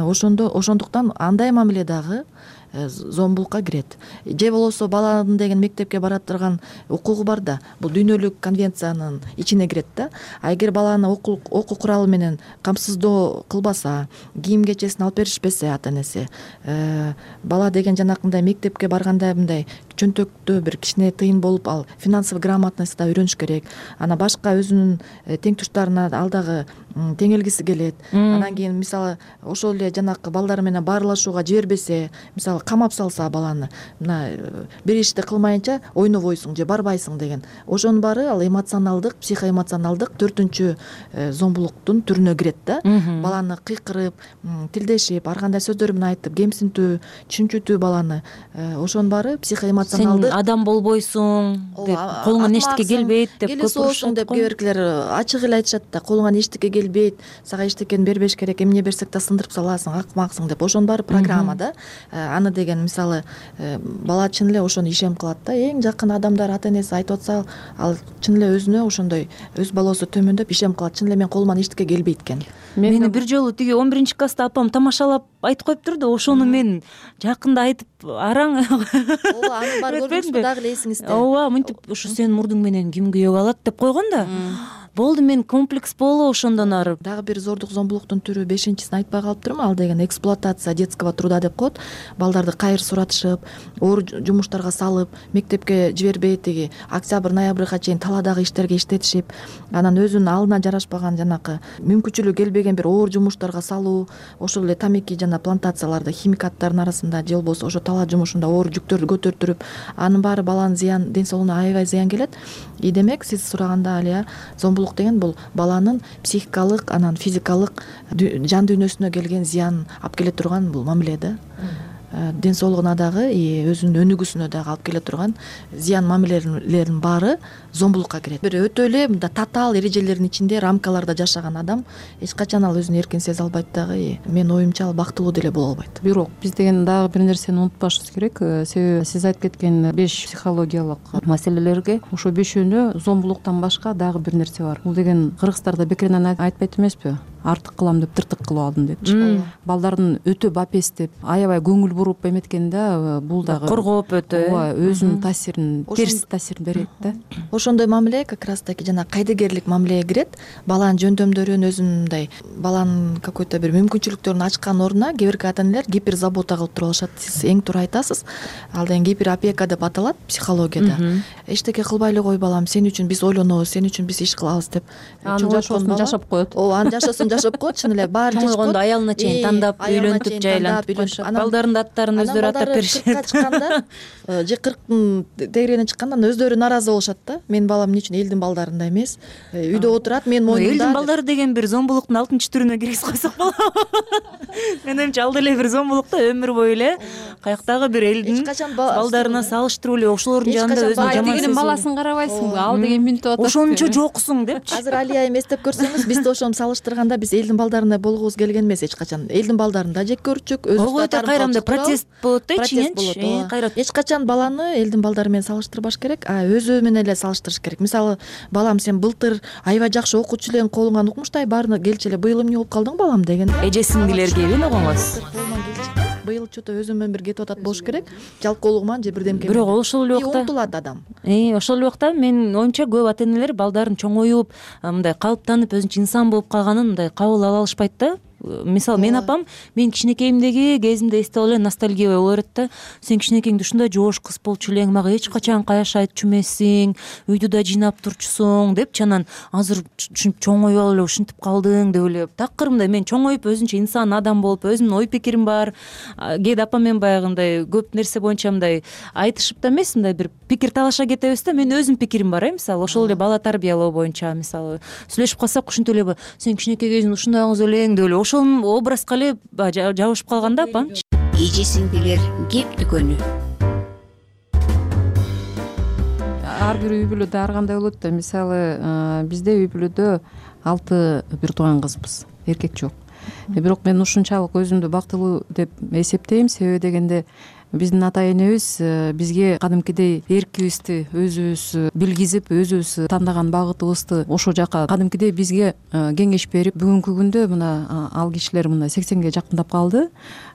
S3: Ошондо ошондуктан андай мамиле дагы зомбулукка кирет. Же болбосо баланын деген мектепке бара турган укугу бар да, бул дүйнөлүк конвенциянын ичине кирет да. А эгер баланы окуу куралы менен камсыздоо кылбаса, кийим кечесин алып беришпесе ата энеси, бала деген жанакындай мектепке барганда мындай чөнтөктө бир кичине тыйын болуп, ал финансовый грамотность да үйрөнүш керек. Ана башка өзүнүн тең туштарына ал дагы теңелгиси келет. Анан кийин мисалы ошол эле жанакы балдар менен баарлашууга жибербесе, мисалы камап салса баланы, мына бир ишти кылмайынча ойнобойсуң же барбайсың деген. Ошонун баары ал эмоционалдык, психоэмоционалдык төртүнчү зомбулуктун түрүнө кирет да. Баланы кыйкырып, тилдешип, ар кандай сөздөр менен айтып, кемсинтүү, чүнчүтүү баланы. Ошонун баары психоэмоционалдык.
S15: Сен адам болбойсуң деп, колуңан эчтеке келбейт деп
S3: көп урушат деп кээбиркилер ачык эле айтышат да. Колуңан эчтеке келбейт, сага эчтекени бербеш керек, эмне берсек да сындырып саласың, акмаксың деп. Ошонун баары программа да. Аны деген мисалы бала чын эле ошону ишем кылат да. Эң жакын адамдар ата энеси айтып атса, ал чын эле өзүнө ошондой өз балосу төмөндөп ишем кылат. Чын эле мен колуман эчтеке келбейт экен.
S15: Мени бир жолу тиги он биринчи класста апам тамашалап айтып коюптур да, ошону мен жакында айтып араң.
S3: Ооба, аны бар көрдүңүзбү дагы эле эсиңизде?
S15: Ооба, мынтип ушу сенин мурдуң менен ким күйөөгө алат деп койгон да. Болду, мен комплекс болуп ошондон ары.
S3: Дагы бир зордук зомбулуктун түрү бешинчисин айтпай калыптырмын. Ал деген эксплуатация детского труда деп коет. Балдарды кайыр суратышып, оор жумуштарга салып, мектепке жибербей тиги октябрь, ноябрга чейин таладагы иштерге иштетишип, анан өзүнүн алына жарашпаган жанакы мүмкүнчүлүгү келбеген бир оор жумуштарга салуу, ошол эле тамеки жана плантацияларда химикаттардын арасында же болбосо ошо тала жумушунда оор жүктөрдү көтөртүрүп, анын баары баланын зыян, ден соолугуна аябай зыян келет. И демек сиз сураганда алия, зомбулук деген бул баланын психикалык, анан физикалык жан дүйнөсүнө келген зыян алып келе турган бул мамиле да. Ден соолугуна дагы, өзүнүн өнүгүүсүнө дагы алып келе турган зыян мамилелердин баары зомбулукка кирет. Бир өтө эле мындай татаал эрежелердин ичинде, рамкаларда жашаган адам эч качан ал өзүн эркин сезе албайт дагы. Менин оюмча ал бактылуу деле боло албайт.
S18: Бирок биз деген дагы бир нерсени унутпашыбыз керек. Себеби сиз айтып кеткен беш психологиялык маселелерге ошо бешөөнө зомбулуктан башка дагы бир нерсе бар. Бул деген кыргыздарда бекеринен айтпайт эмеспи? Артык кылам деп тыртык кылып алдым депчи. Балдардын өтө бапестеп, аябай көңүл буруп эметкенде бул дагы
S15: коргоп өтө
S18: ооба өзүнүн таасирин, терс таасирин берет да.
S3: Ошондой мамиле как раз таки жана кайдыгерлик мамилеге кирет. Баланын жөндөмдөрүн өзүнүн мындай баланын какой-то бир мүмкүнчүлүктөрүн ачкан ордуна кээ бирки ата энелер гиперзабота кылып туруп алышат. Сиз эң туура айтасыз. Ал деген гиперопека деп аталат психологияда. Эчтеке кылбай эле кой балам, сен үчүн биз ойлонобуз, сен үчүн биз иш кылабыз деп.
S18: Чоңойгондо жашап коет.
S3: Ооба, анын жашоосун жашап коет, чын эле баары жашап коет.
S15: Чоңойгондо аялына чейин тандап, үйлөнтүп, жайлантып, балдардын аттарын өздөрү атап беришет.
S3: кыркка чыкканда же кырктын тегерегине чыкканда өздөрү нааразы болушат да. Менин балам эмне үчүн элдин балдарындай эмес, үйдө отурат, менин моюнумда.
S15: Элдин балдары деген бир зомбулуктун алтынчы түрүнө киргизип койсок болобу? менин оюмча ал деле бир зомбулук да, өмүр бою эле каяктагы бир элдин балдарына салыштырып эле ошолордун жанында өзүн жаман
S18: дегенин баласын карабайсыңбы, ал деген минтип атат,
S15: ошончо жоксуң депчи.
S3: Азыр Али айым эстеп көрсөңүз, биз да ошону салыштырганда биз элдин балдарындай болгубуз келген эмес эч качан. Элдин балдарын да жек көрчүк, өзүбүз да
S15: кайрамда протест болот да ичиненчи.
S3: Кайра эч качан баланы элдин балдары менен салыштырбаш керек, а өзү менен эле салыштырыш керек. Мисалы, балам сен былтыр аябай жакшы окуучу элең, колуңан укмуштай баарына келчи эле, быйыл эмне болуп калдың балам деген.
S15: Эже сиңдилер келин огоңуз.
S3: Быйыл что-то өзү менен бир кетип атат болуш керек. Жалкоолугуман же бирдемке.
S15: Бирок ошол эле убакта
S3: умтулат адам.
S15: Э, ошол эле убакта менин оюмча көп ата энелер балдарын чоңоюп, мындай калыптанып, өзүнчө инсан болуп калганын мындай кабыл ала алышпайт да. Мисалы, мен апам мен кичинекейимдеги кезимде эстеп алып эле ностальгия болуп берет да. Сен кичинекейиңде ушундай жоош кыз болчу элең, мага эч качан каяш айтчу эмессиң, үйдү да жыйнап турчусуң депчи. Анан азыр ушинтип чоңоюп алып эле ушинтип калдың деп эле такыр мындай мен чоңоюп өзүнчө инсан адам болуп, өзүмдүн ой пикирим бар. Кээде апам менен баягындай көп нерсе боюнча мындай айтышып да эмес, мындай бир пикир талаша кетебиз да. Менин өзүмдүн пикирим бар, э, мисалы, ошол эле бала тарбиялоо боюнча, мисалы, сүйлөшүп калсак ушинтип эле сен кичинекей кезиң ушундай кыз элең деп эле ошол образга эле жабышып калган да апам.
S17: Эже сиңдилер кеп дүкөнү.
S18: Ар бир үй бүлөдө ар кандай болот да. Мисалы, бизде үй бүлөдө алты бир тууган кызбыз, эркек жок. Бирок мен ушунчалык өзүмдү бактылуу деп эсептейм. Себеби дегенде биздин ата энебиз бизге кадимкидей эркибизди өзүбүз билгизип, өзүбүз тандаган багытыбызды ошол жака кадимкидей бизге кеңеш берип, бүгүнкү күндө мына ал кишилер мына сексенге жакындап калды.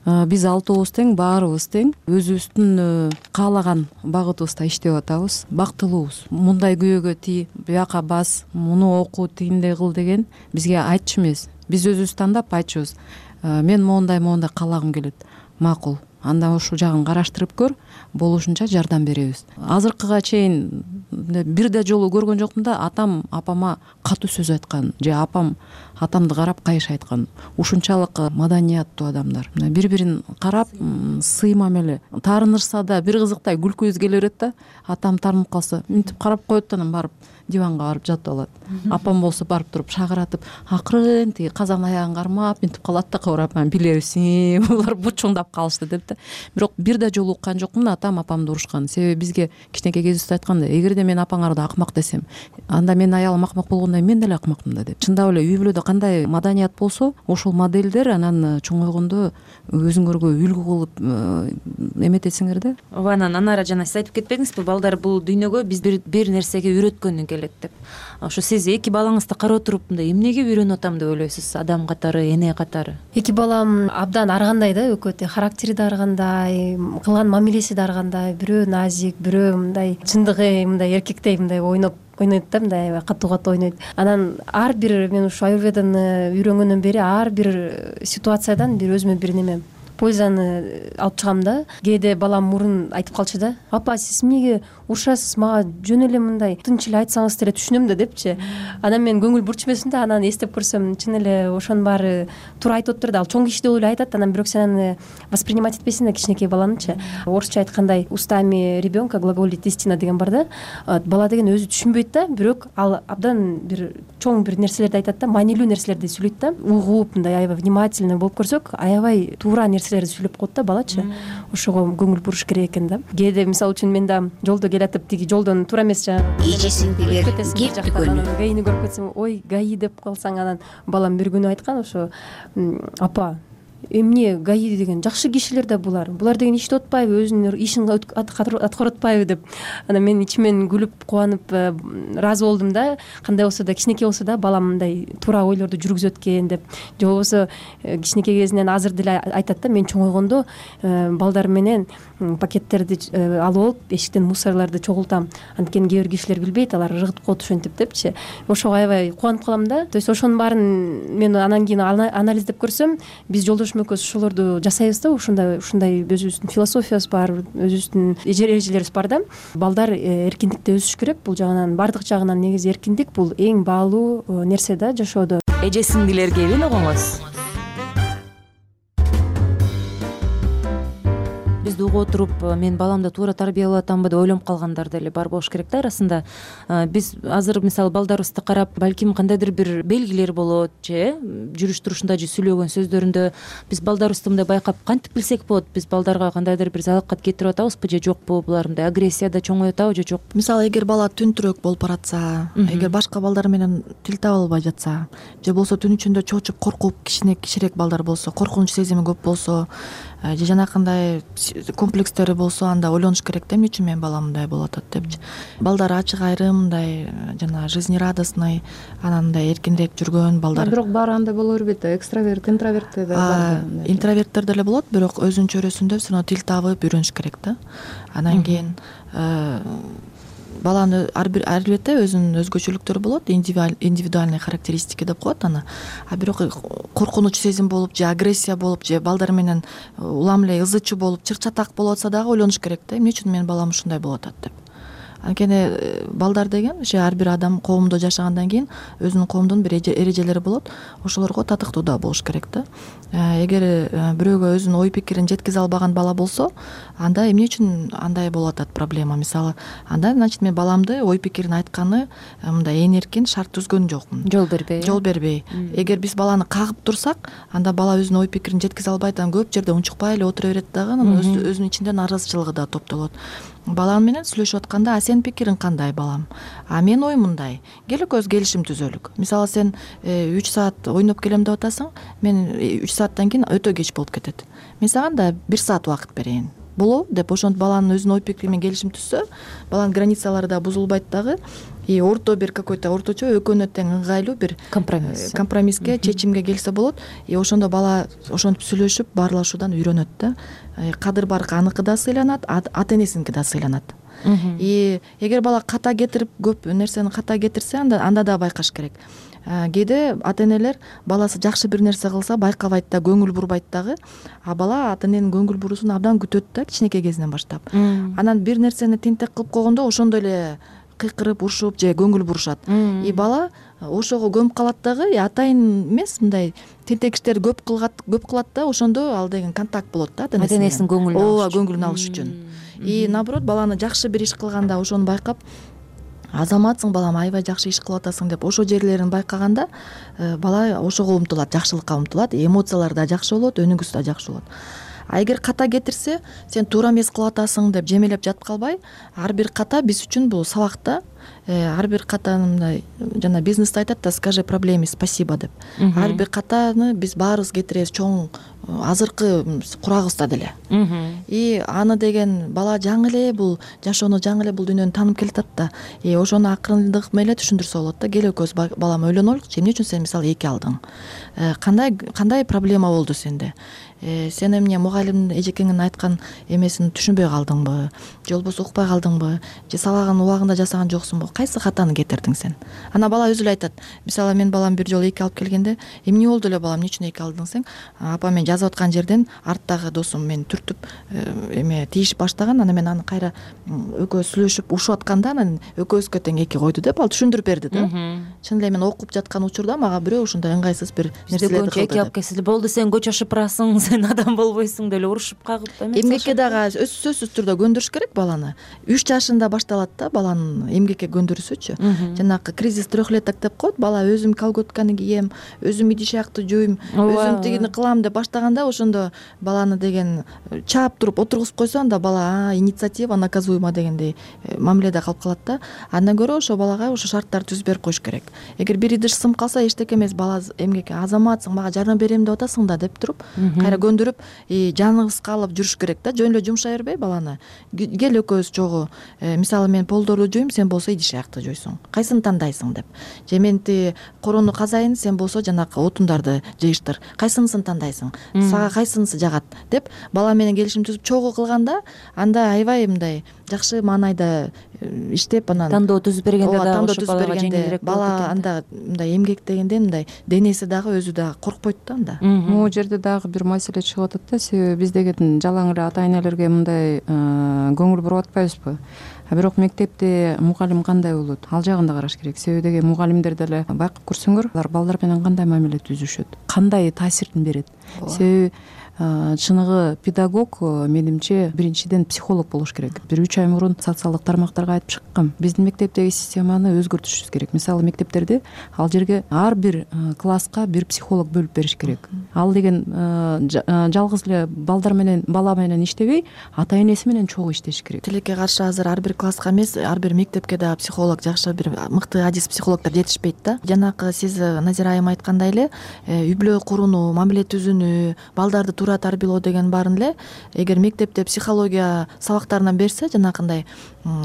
S18: Биз алтообуз тең, баарыбыз тең, өзүбүздүн каалаган багытыбызда иштеп атабыз, бактылуубуз. Мындай күйөөгө тий, бияка бас, муну оку, тигиндей кыл деген бизге айтчу эмес. Биз өзүбүз тандап айтчубуз. Мен моундай моундай каалагым келет. Макул. Анда ушул жагын караштырып көр, болушунча жардам беребиз. Азыркыга чейин бир да жолу көргөн жокмун да атам апама катуу сөз айткан же апам атамды карап кайыш айткан. Ушунчалык маданияттуу адамдар. Бири-бирин карап, сый мамиле. Таарынышса да бир кызыктай күлкүбүз келе берет да. Атам таарынып калса, мынтип карап коет да, анан барып диванга барып жатып алат. Апам болсо барып туруп шагыратып, акырын тиги казан аягын кармап мынтип калат да, кабырап, билебизби, булар бучуңдап калышты деп да. Бирок бир да жолу уккан жокмун атам апамды урушкан. Себеби бизге кичинекей кезибизде айтканда, эгерде мен апаңарды акмак десем, анда менин аялым акмак болгондой мен деле акмакмын да деп. Чындап эле үй бүлөдө кандай маданият болсо, ошол модельдер анан чоңойгондо өзүңөргө үлгү кылып эметесиңер да.
S15: Ооба, анан анара жана сиз айтып кетпедиңизби, балдар бул дүйнөгө биз бир нерсеге үйрөткөнү келет деп. Ошо сиз эки балаңызды карап отуруп мындай эмнеге үйрөнүп атам деп ойлойсуз, адам катары, эне катары?
S19: Эки балам абдан ар кандай да, экөө характери да ар кандай, кылган мамилеси да ар кандай. Бирөө назик, бирөө мындай чындыгы мындай эркектей мындай ойноп ойнойт да, мындай катуу катуу ойнойт. Анан ар бир мен ушу аюрведаны үйрөнгөндөн бери ар бир ситуациядан бир өзүмө бир неме пользаны алып чыгам да. Кээде балам мурун айтып калчу да, апа сиз эмнеге урушасыз, мага жөн эле мындай тынч эле айтсаңыз деле түшүнөм да депчи. Анан мен көңүл бурчумесин да, анан эстеп көрсөм чын эле ошонун баары туура айтып атыптыр да. Ал чоң киши деп эле айтат, анан бирок сен аны воспринимать этпейсиң да, кичинекей баланычы. Орусча айткандай устами ребенка глаголит истина деген бар да. Бала деген өзү түшүнбөйт да, бирок ал абдан бир чоң бир нерселерди айтат да, маанилүү нерселерди сүйлөйт да. Угуп мындай аябай внимательный болуп көрсөк, аябай туура нерселерди сүйлөп коет да балачы. Ошого көңүл буруш керек экен да. Кээде мисалы үчүн мен да жолдо келатып, тиги жолдон туура эмес жагы
S17: эже сиңдилер кеп дүкөнү.
S19: Гаини көрүп кетсем, ой гаи деп калсаң, анан балам бир күнү айткан, ошо апа эмне гаи деген жакшы кишилер да булар. Булар деген иштеп атпайбы, өзүнүн ишин аткарып атпайбы деп. Анан мен ичимен күлүп, кубанып ыраазы болдум да. Кандай болсо да, кичинекей болсо да балам мындай туура ойлорду жүргүзөт экен деп. Же болбосо кичинекей кезинен азыр деле айтат да, мен чоңойгондо балдар менен пакеттерди алып алып, эшиктен мусорларды чогултам. Анткени кээ бир кишилер билбейт, алар ыргытып коет ошентип депчи. Ошого аябай кубанып калам да. То есть ошонун баарын мен анан кийин анализдеп көрсөм, биз жолдошум экөөбүз ошолорду жасайбыз да. Ушундай ушундай өзүбүздүн философиябыз бар, өзүбүздүн эрежелерибиз бар да. Балдар эркиндикте өсүш керек. Бул жагынан, бардык жагынан негизи эркиндик бул эң баалуу нерсе да жашоодо.
S15: Эже сиңдилер келин огоңуз. Биз сөздү угуп отуруп мен баламды туура тарбиялап атамбы деп ойлонуп калгандар деле бар болуш керек да арасында. Биз азыр мисалы балдарыбызды карап балким кандайдыр бир белгилер болот же жүрүш турушунда же сүйлөгөн сөздөрүндө биз балдарыбызды мындай байкап кантип билсек болот, биз балдарга кандайдыр бир залакат кетирип атабызбы же жокпу, булар мындай агрессияда чоңоюп атабы же жокпу?
S3: Мисалы эгер бала түнтүрөөк болуп баратса, эгер башка балдар менен тил таба албай жатса же болбосо түн ичинде чоочуп коркуп кичине кичирээк балдар болсо, коркунуч сезими көп болсо же жанакындай комплекстери болсо, анда ойлонуш керек да, эмне үчүн менин балам мындай болуп атат депчи. Балдар ачык айрым, мындай жана жизнерадостный, анан мындай эркинирээк жүргөн балдар.
S18: Бирок баары андай боло бербейт да, экстраверт, интроверт да бар.
S3: Интроверттер деле болот, бирок өзүнчө өрөсүндө все равно тил табып үйрөнүш керек да. Анан кийин баланын албетте өзүнүн өзгөчөлүктөрү болот, индивидуальный характеристики деп коет аны. А бирок коркунуч сезим болуп же агрессия болуп же балдар менен улам эле ызы чуу болуп чыр-чатак болуп атса дагы ойлонуш керек да, эмне үчүн менин балам ушундай болуп атат деп. Анткени балдар деген ошо ар бир адам коомдо жашагандан кийин өзүнүн коомдун бир эрежелери болот, ошолорго татыктуу да болуш керек да. Эгер бирөөгө өзүнүн ой пикирин жеткизе албаган бала болсо, анда эмне үчүн андай болуп атат проблема? Мисалы, анда значит мен баламды ой пикирин айтканы мындай ээн эркин шарт түзгөн жокмун.
S15: Жол бербей.
S3: Жол бербей. Эгер биз баланы кагып турсак, анда бала өзүнүн ой пикирин жеткизе албайт, анан көп жерде унчукпай эле отура берет дагы, анан өзүнүн ичинде нааразычылыгы да топтолот. Балам менен сүйлөшүп атканда, а сенин пикириң кандай балам? А менин оюм мындай. Кел экөөбүз келишим түзөлүк. Мисалы сен үч саат ойноп келем деп атасың, мен үч сааттан кийин өтө кеч болуп кетет. Мен сага да бир саат убакыт берейин. Болобу деп ошентип баланын өзүнүн ой пикири менен келишим түзсө, баланын границалары да бузулбайт дагы. И орто бир какой-то орточо экөөнө тең ыңгайлуу бир компромисс компромисске, чечимге келсе болот. И ошондо бала ошентип сүйлөшүп баарлашуудан үйрөнөт да. Кадыр баркы аныкы да сыйланат, ата энесиники да сыйланат. И эгер бала ката кетирип көп нерсени ката кетирсе, анда анда да байкаш керек. Кээде ата энелер баласы жакшы бир нерсе кылса байкабайт да, көңүл бурбайт дагы, а бала ата эненин көңүл буруусун абдан күтөт да кичинекей кезинен баштап. Анан бир нерсени тентек кылып койгондо ошондой эле кыйкырып, урушуп же көңүл бурушат. И бала ошого көмүп калат дагы, атайын эмес, мындай тентек иштерди көп кылат, көп кылат да, ошондо ал деген контакт болот да ата
S15: энесинин көңүлүн алыш.
S3: Ооба, көңүлүн алыш үчүн. И наоборот, баланы жакшы бир иш кылганда ошону байкап, азаматсың балам, аябай жакшы иш кылып атасың деп ошо жерлерин байкаганда бала ошого умтулат, жакшылыкка умтулат, эмоциялары да жакшы болот, өнүгүүсү да жакшы болот. А эгер ката кетирсе, сен туура эмес кылып атасың деп жемелеп жатып калбай, ар бир ката биз үчүн бул сабак да. Ар бир катаны мындай жана бизнесте айтат да, скажи проблеме спасибо деп. Ар бир катаны биз баарыбыз кетиребиз чоң азыркы курагыбызда деле. И аны деген бала жаңы эле бул жашоону, жаңы эле бул дүйнөнү таанып келатат да. И ошону акырындык менен түшүндүрсө болот да. Кел экөөбүз балам ойлонолучу, эмне үчүн сен мисалы эки алдың? Кандай кандай проблема болду сенде? Сен эмне мугалим эжекеңин айткан эмесин түшүнбөй калдыңбы? Же болбосо укпай калдыңбы? Же сабагын убагында жасаган жоксуңбу? Кайсы катаны кетирдиң сен? Ана бала өзү эле айтат. Мисалы мен балам бир жолу эки алып келгенде, эмне болду эле балам, эмне үчүн эки алдың сен? Апа, мен жазып аткан жерден арттагы досум мени түртүп эме тийишип баштаган, анан мен аны кайра экөөбүз сүйлөшүп ушуп атканда, анан экөөбүзгө тең эки койду деп ал түшүндүрүп берди да. Чын эле мен окуп жаткан учурда мага бирөө ушундай ыңгайсыз бир нерселерди кылды.
S15: Эки алып келсе болду, сен көчө шыпырасың, сен адам болбойсуң деп эле урушуп кагып эмес.
S3: Эмгекке дагы сөзсүз түрдө көндүрүш керек баланы. үч жашында башталат да баланын эмгекке көндүрүүсүчү. Жанакы кризис трехлеток деп коет, бала өзүм колготканы кийем, өзүм идиш аякты жууйм, өзүм тигини кылам деп баштаганда, ошондо баланы деген чаап туруп отургузуп койсо, анда бала инициатива наказуема дегендей мамиледе калып калат да. Андан көрө ошо балага ошо шарттарды түзүп берип коюш керек. Эгер бир идиш сынып калса, эчтеке эмес, бала эмгекке азаматсың, мага жардам берем деп атасың да деп туруп, кайра көндүрүп, жаныңыз калып жүрүш керек да. Жөн эле жумшай бербей баланы. Кел экөөбүз чогуу, мисалы мен полдорду жуйм, сен болсо идиш аякты жуйсуң. Кайсыны тандайсың деп. Же мен ти корону казайын, сен болсо жанакы отундарды жыйыштыр. Кайсынысын тандайсың? Сага кайсынысы жагат деп бала менен келишим түзүп чогуу кылганда, анда аябай мындай жакшы маанайда иштеп, анан
S15: тандоо түзүп бергенде да ошо балага жеңилирээк болот.
S3: Бала анда мындай эмгек дегенде мындай денеси дагы өзү дагы коркпойт да анда.
S18: Могу жерде дагы бир маселе чыгып атат да, себеби биз деген жалаң эле ата энелерге мындай көңүл буруп атпайбызбы? А бирок мектепте мугалим кандай болот? Ал жагын да караш керек. Себеби деген мугалимдер деле байкап көрсөңөр, алар балдар менен кандай мамиле түзүшөт, кандай таасирин берет. себеби чыныгы педагог менимче биринчиден психолог болуш керек. Бир үч ай мурун социалдык тармактарга айтып чыккам. Биздин мектептеги системаны өзгөртүшүбүз керек. Мисалы мектептерде ал жерге ар бир класска бир психолог бөлүп бериш керек. Ал деген жалгыз эле балдар менен бала менен иштебей, ата энеси менен чогуу иштеш керек.
S3: Тилекке каршы азыр ар бир класска эмес, ар бир мектепке да психолог, жакшы бир мыкты адис психологдор жетишпейт да. Жанакы сиз Назира айым айткандай эле үй бүлө курууну, мамиле түзүүнү, балдарды туура тарбиялоо деген баарын эле эгер мектепте психология сабактарынан берсе, жанакындай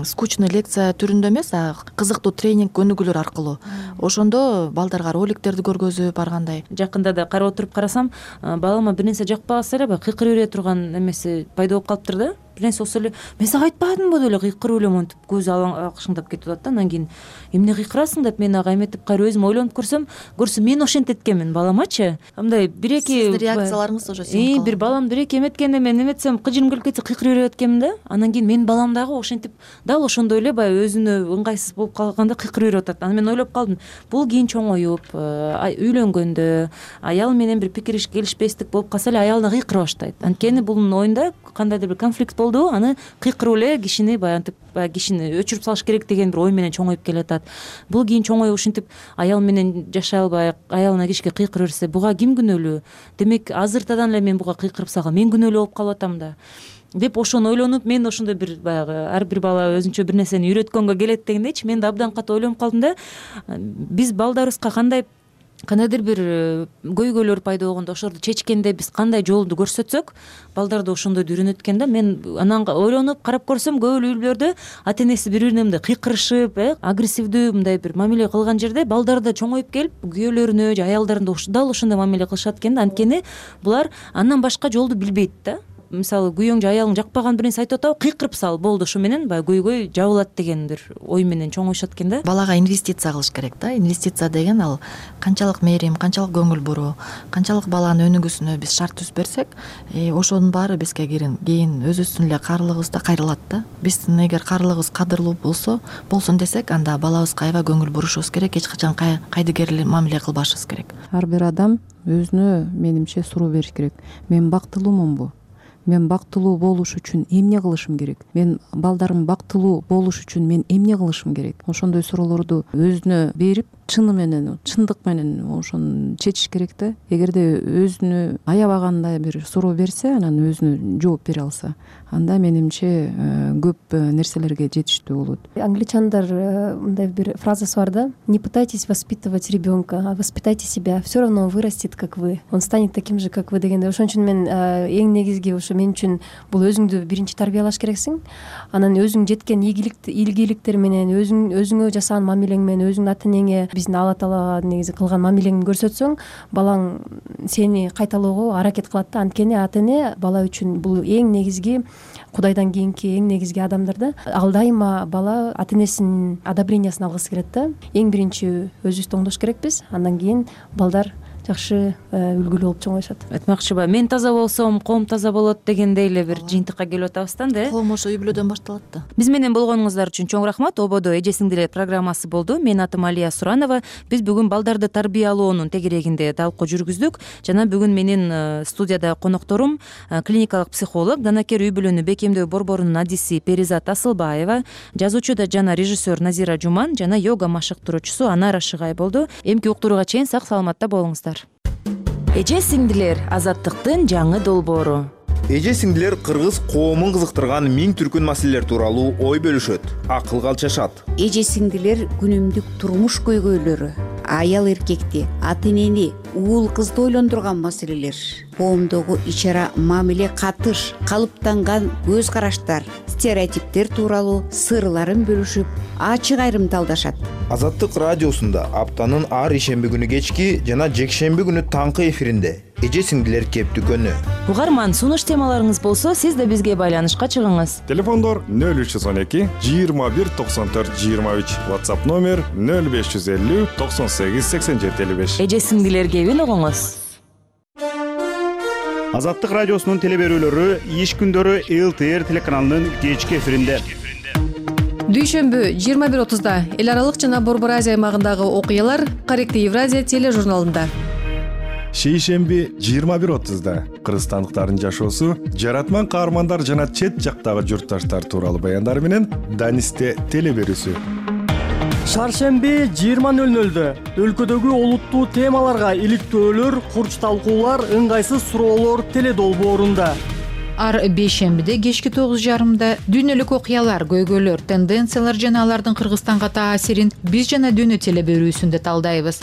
S3: скучный лекция түрүндө эмес, а кызыктуу тренинг өнүгүүлөр аркылуу, ошондо балдарга роликтерди көргөзүп баргандай.
S15: Жакында да карап отуруп карасам, балама бир нерсе жакпаса эле баягы кыйкырып бере турган эмеси пайда болуп калыптыр да. Бир нерсе болсо эле мен сага айтпадымбы деп эле кыйкырып эле монтип көзү акшыңдап кетип атат да. Анан кийин эмне кыйкырасың деп мен ага эметип кайра өзүм ойлонуп көрсөм, көрсө мен ошентет экенмин баламачы. Мындай бир эки
S3: сиздин реакцияларыңыз ошо сиңип
S15: бир балам бир эки эметкенде мен эметсем кыжырым келип кетсе кыйкырып берип эткенмин да. Анан кийин менин балам дагы ошентип дал ошондой эле баягы өзүнө ыңгайсыз болуп калганда кыйкырып берип атат. Анан мен ойлоп калдым, бул кийин чоңоюп, үйлөнгөндө аял менен бир пикир келишпестик болуп калса эле аялына кыйкыра баштайт. Анткени бунун оюнда кандайдыр бир конфликт болду, аны кыйкырып эле кишини баягы кишини өчүрүп салыш керек деген бир ой менен чоңоюп келатат. Бул кийин чоңоюп ушинтип аял менен жашай албай аялына кишке кыйкырып берсе, буга ким күнөөлүү? Демек азыртадан эле мен буга кыйкырып салгам, мен күнөөлүү болуп калып атам да деп ошону ойлонуп, мен ошондой бир баягы ар бир бала өзүнчө бир нерсени үйрөткөнгө келет дегендейчи, мен да абдан катуу ойлонуп калдым да. Биз балдарыбызга кандай кандайдыр бир көйгөйлөр пайда болгондо ошолорду чечкенде биз кандай жолду көрсөтсөк, балдар да ошондойду үйрөнөт экен да. Мен анан ойлонуп карап көрсөм, көп эле үй бүлөлөрдө ата энеси бири бирине мындай кыйкырышып, агрессивдүү мындай бир мамиле кылган жерде балдар да чоңоюп келип, күйөөлөрүнө же аялдарына дал ошондой мамиле кылышат экен да. Анткени булар андан башка жолду билбейт да. Мисалы күйөөң же аялың жакпаган бир нерсе айтып атабы, кыйкырып сал, болду, ошо менен баягы көйгөй жабылат деген бир ой менен чоңоюшат экен да.
S3: Балага инвестиция кылыш керек да. Инвестиция деген ал канчалык мээрим, канчалык көңүл буруу, канчалык баланын өнүгүүсүнө биз шарт түзүп берсек, ошонун баары бизге кийин өзүбүздүн эле каарылыгыбызда кайрылат да. Биздин эгер каарылыгыбыз кадырлуу болсо, болсун десек, анда балабызга аябай көңүл бурушубуз керек, эч качан кайдыгер мамиле кылбашыбыз керек.
S18: Ар бир адам өзүнө менимче суроо бериш керек. Мен бактылуумунбу? Мен бактылуу болуш үчүн эмне кылышым керек? Мен балдарым бактылуу болуш үчүн мен эмне кылышым керек? Ошондой суроолорду өзүнө берип, чыны менен, чындык менен ошону чечиш керек да. Эгерде өзүнө аябагандай бир суроо берсе, анан өзүнө жооп бере алса, анда менимче көп нерселерге жетиштүү болот.
S19: Англичандар мындай бир фразасы бар да: не пытайтесь воспитывать ребенка, а воспитайте себя, все равно он вырастет как вы, он станет таким же как вы дегенде. Ошон үчүн мен эң негизги ошо мен үчүн бул өзүңдү биринчи тарбиялаш керексиң. Анан өзүң жеткен ийгиликтер менен, өзүң өзүңө жасаган мамилең менен, өзүңдүн ата энеңе, биздин Алла Таала негизи кылган мамилеңди көрсөтсөң, балаң сени кайталоого аракет кылат да. Анткени ата эне бала үчүн бул эң негизги, Кудайдан кийинки эң негизги адамдар да. Ал дайыма бала ата энесинин одобрениясын алгысы келет да. Эң биринчи өзүбүздү оңдош керекпиз, андан кийин балдар жакшы үлгүлүү болуп чоңоюшат.
S15: Айтмакчыбы, мен таза болсом, коом таза болот дегендей эле бир жыйынтыкка келип атабыз да энди.
S3: Коом ошо үй бүлөдөн башталат да.
S15: Биз менен болгонуңуздар үчүн чоң рахмат. Ободо эже сиңдилер программасы болду. Менин атым Алия Суранова. Биз бүгүн балдарды тарбиялоонун тегерегинде талкуу жүргүздүк. Жана бүгүн менин студияда конокторум клиникалык психолог, данакер үй бүлөнү бекемдөө борборунун адиси Перизат Асылбаева, жазуучу да жана режиссер Назира Жуман жана йога машыктыруучусу Анара Шыгай болду. Эмки уктурууга чейин сак саламатта болуңуздар. Эже сиңдилер — азаттыктын жаңы долбоору.
S16: Эже сиңдилер кыргыз коомун кызыктырган миң түркүн маселелер тууралуу ой бөлүшөт, акыл калчашат.
S17: Эже сиңдилер күнүмдүк турмуш көйгөйлөрү, аял эркекти, ата энени, уул кызды ойлондурган маселелер, коомдогу ичара мамиле катыш, калыптанган көз караштар, стереотиптер тууралуу сырларын бөлүшүп, ачык айрымталдашат.
S16: Азаттык радиосунда аптанын ар ишемби күнү кечки жана жекшемби күнү таңкы эфиринде эже сиңдилер кептүкөнү.
S15: Угарман, сунуш темаларыңыз болсо, сиз да бизге байланышка чыгыңыз.
S12: Телефондор нөл үч жүз он эки жыйырма бир токсон төрт жыйырма үч, WhatsApp номер нөл беш жүз элүү токсон сегиз сексен жети элүү беш.
S15: Эже сиңдилер кебин угуңуз.
S11: Азаттык радиосунун теле берүүлөрү иш күндөрү эл тэ эр телеканалынын кечки эфиринде.
S20: Дүйшөмбү жыйырма бир отузда эл аралык жана Борбор Азия аймагындагы окуялар Корректив Евразия тележурналында.
S12: шейшемби жыйырма бир отузда кыргызстандыктардын жашоосу, жаратман каармандар жана чет жактагы журтташтар тууралуу баяндары менен Данисте теле берүүсү.
S21: Шаршемби жыйырма нөл нөлдө өлкөдөгү олуттуу темаларга иликтөөлөр, курч талкуулар, ыңгайсыз суроолор теле долбоорунда.
S22: Ар бейшембиде кечки тогуз жарымда дүйнөлүк окуялар, көйгөйлөр, тенденциялар жана алардын Кыргызстанга таасирин биз жана дүйнө теле берүүсүндө талдайбыз.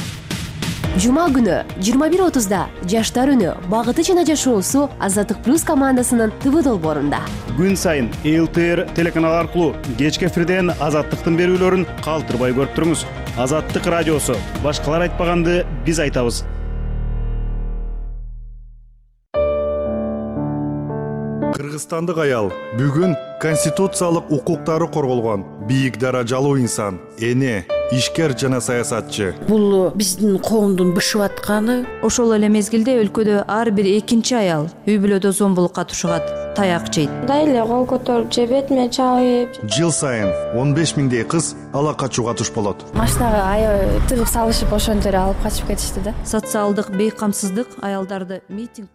S23: Жума күнү жыйырма бир отузда Жаштар үнү, багыты жана жашоосу Азаттык плюс командасынын ТВ долбоорунда.
S11: Күн сайын Эл Т Р телеканалы аркылуу кечки эфирден Азаттыктын берүүлөрүн калтырбай көрүп туруңуз. Азаттык радиосу. Башкалар айтпаганды биз айтабыз.
S12: Кыргызстандык аял бүгүн конституциялык укуктары корголгон бийик даражалуу инсан, эне, ишкер жана саясатчы.
S24: Бул биздин коомдун бышып атканы.
S15: Ошол эле мезгилде өлкөдө ар бир экинчи аял үй бүлөдө зомбулукка тушугат, таяк жейт.
S25: Дайле кол көтөрүп же бетиме чабып.
S12: Жыл сайын он беш миңдей кыз ала качууга туш болот.
S25: Машинага аябай тыгып салышып ошентип алып качып кетишти да.
S15: Социалдык бейкамсыздык аялдарды митинг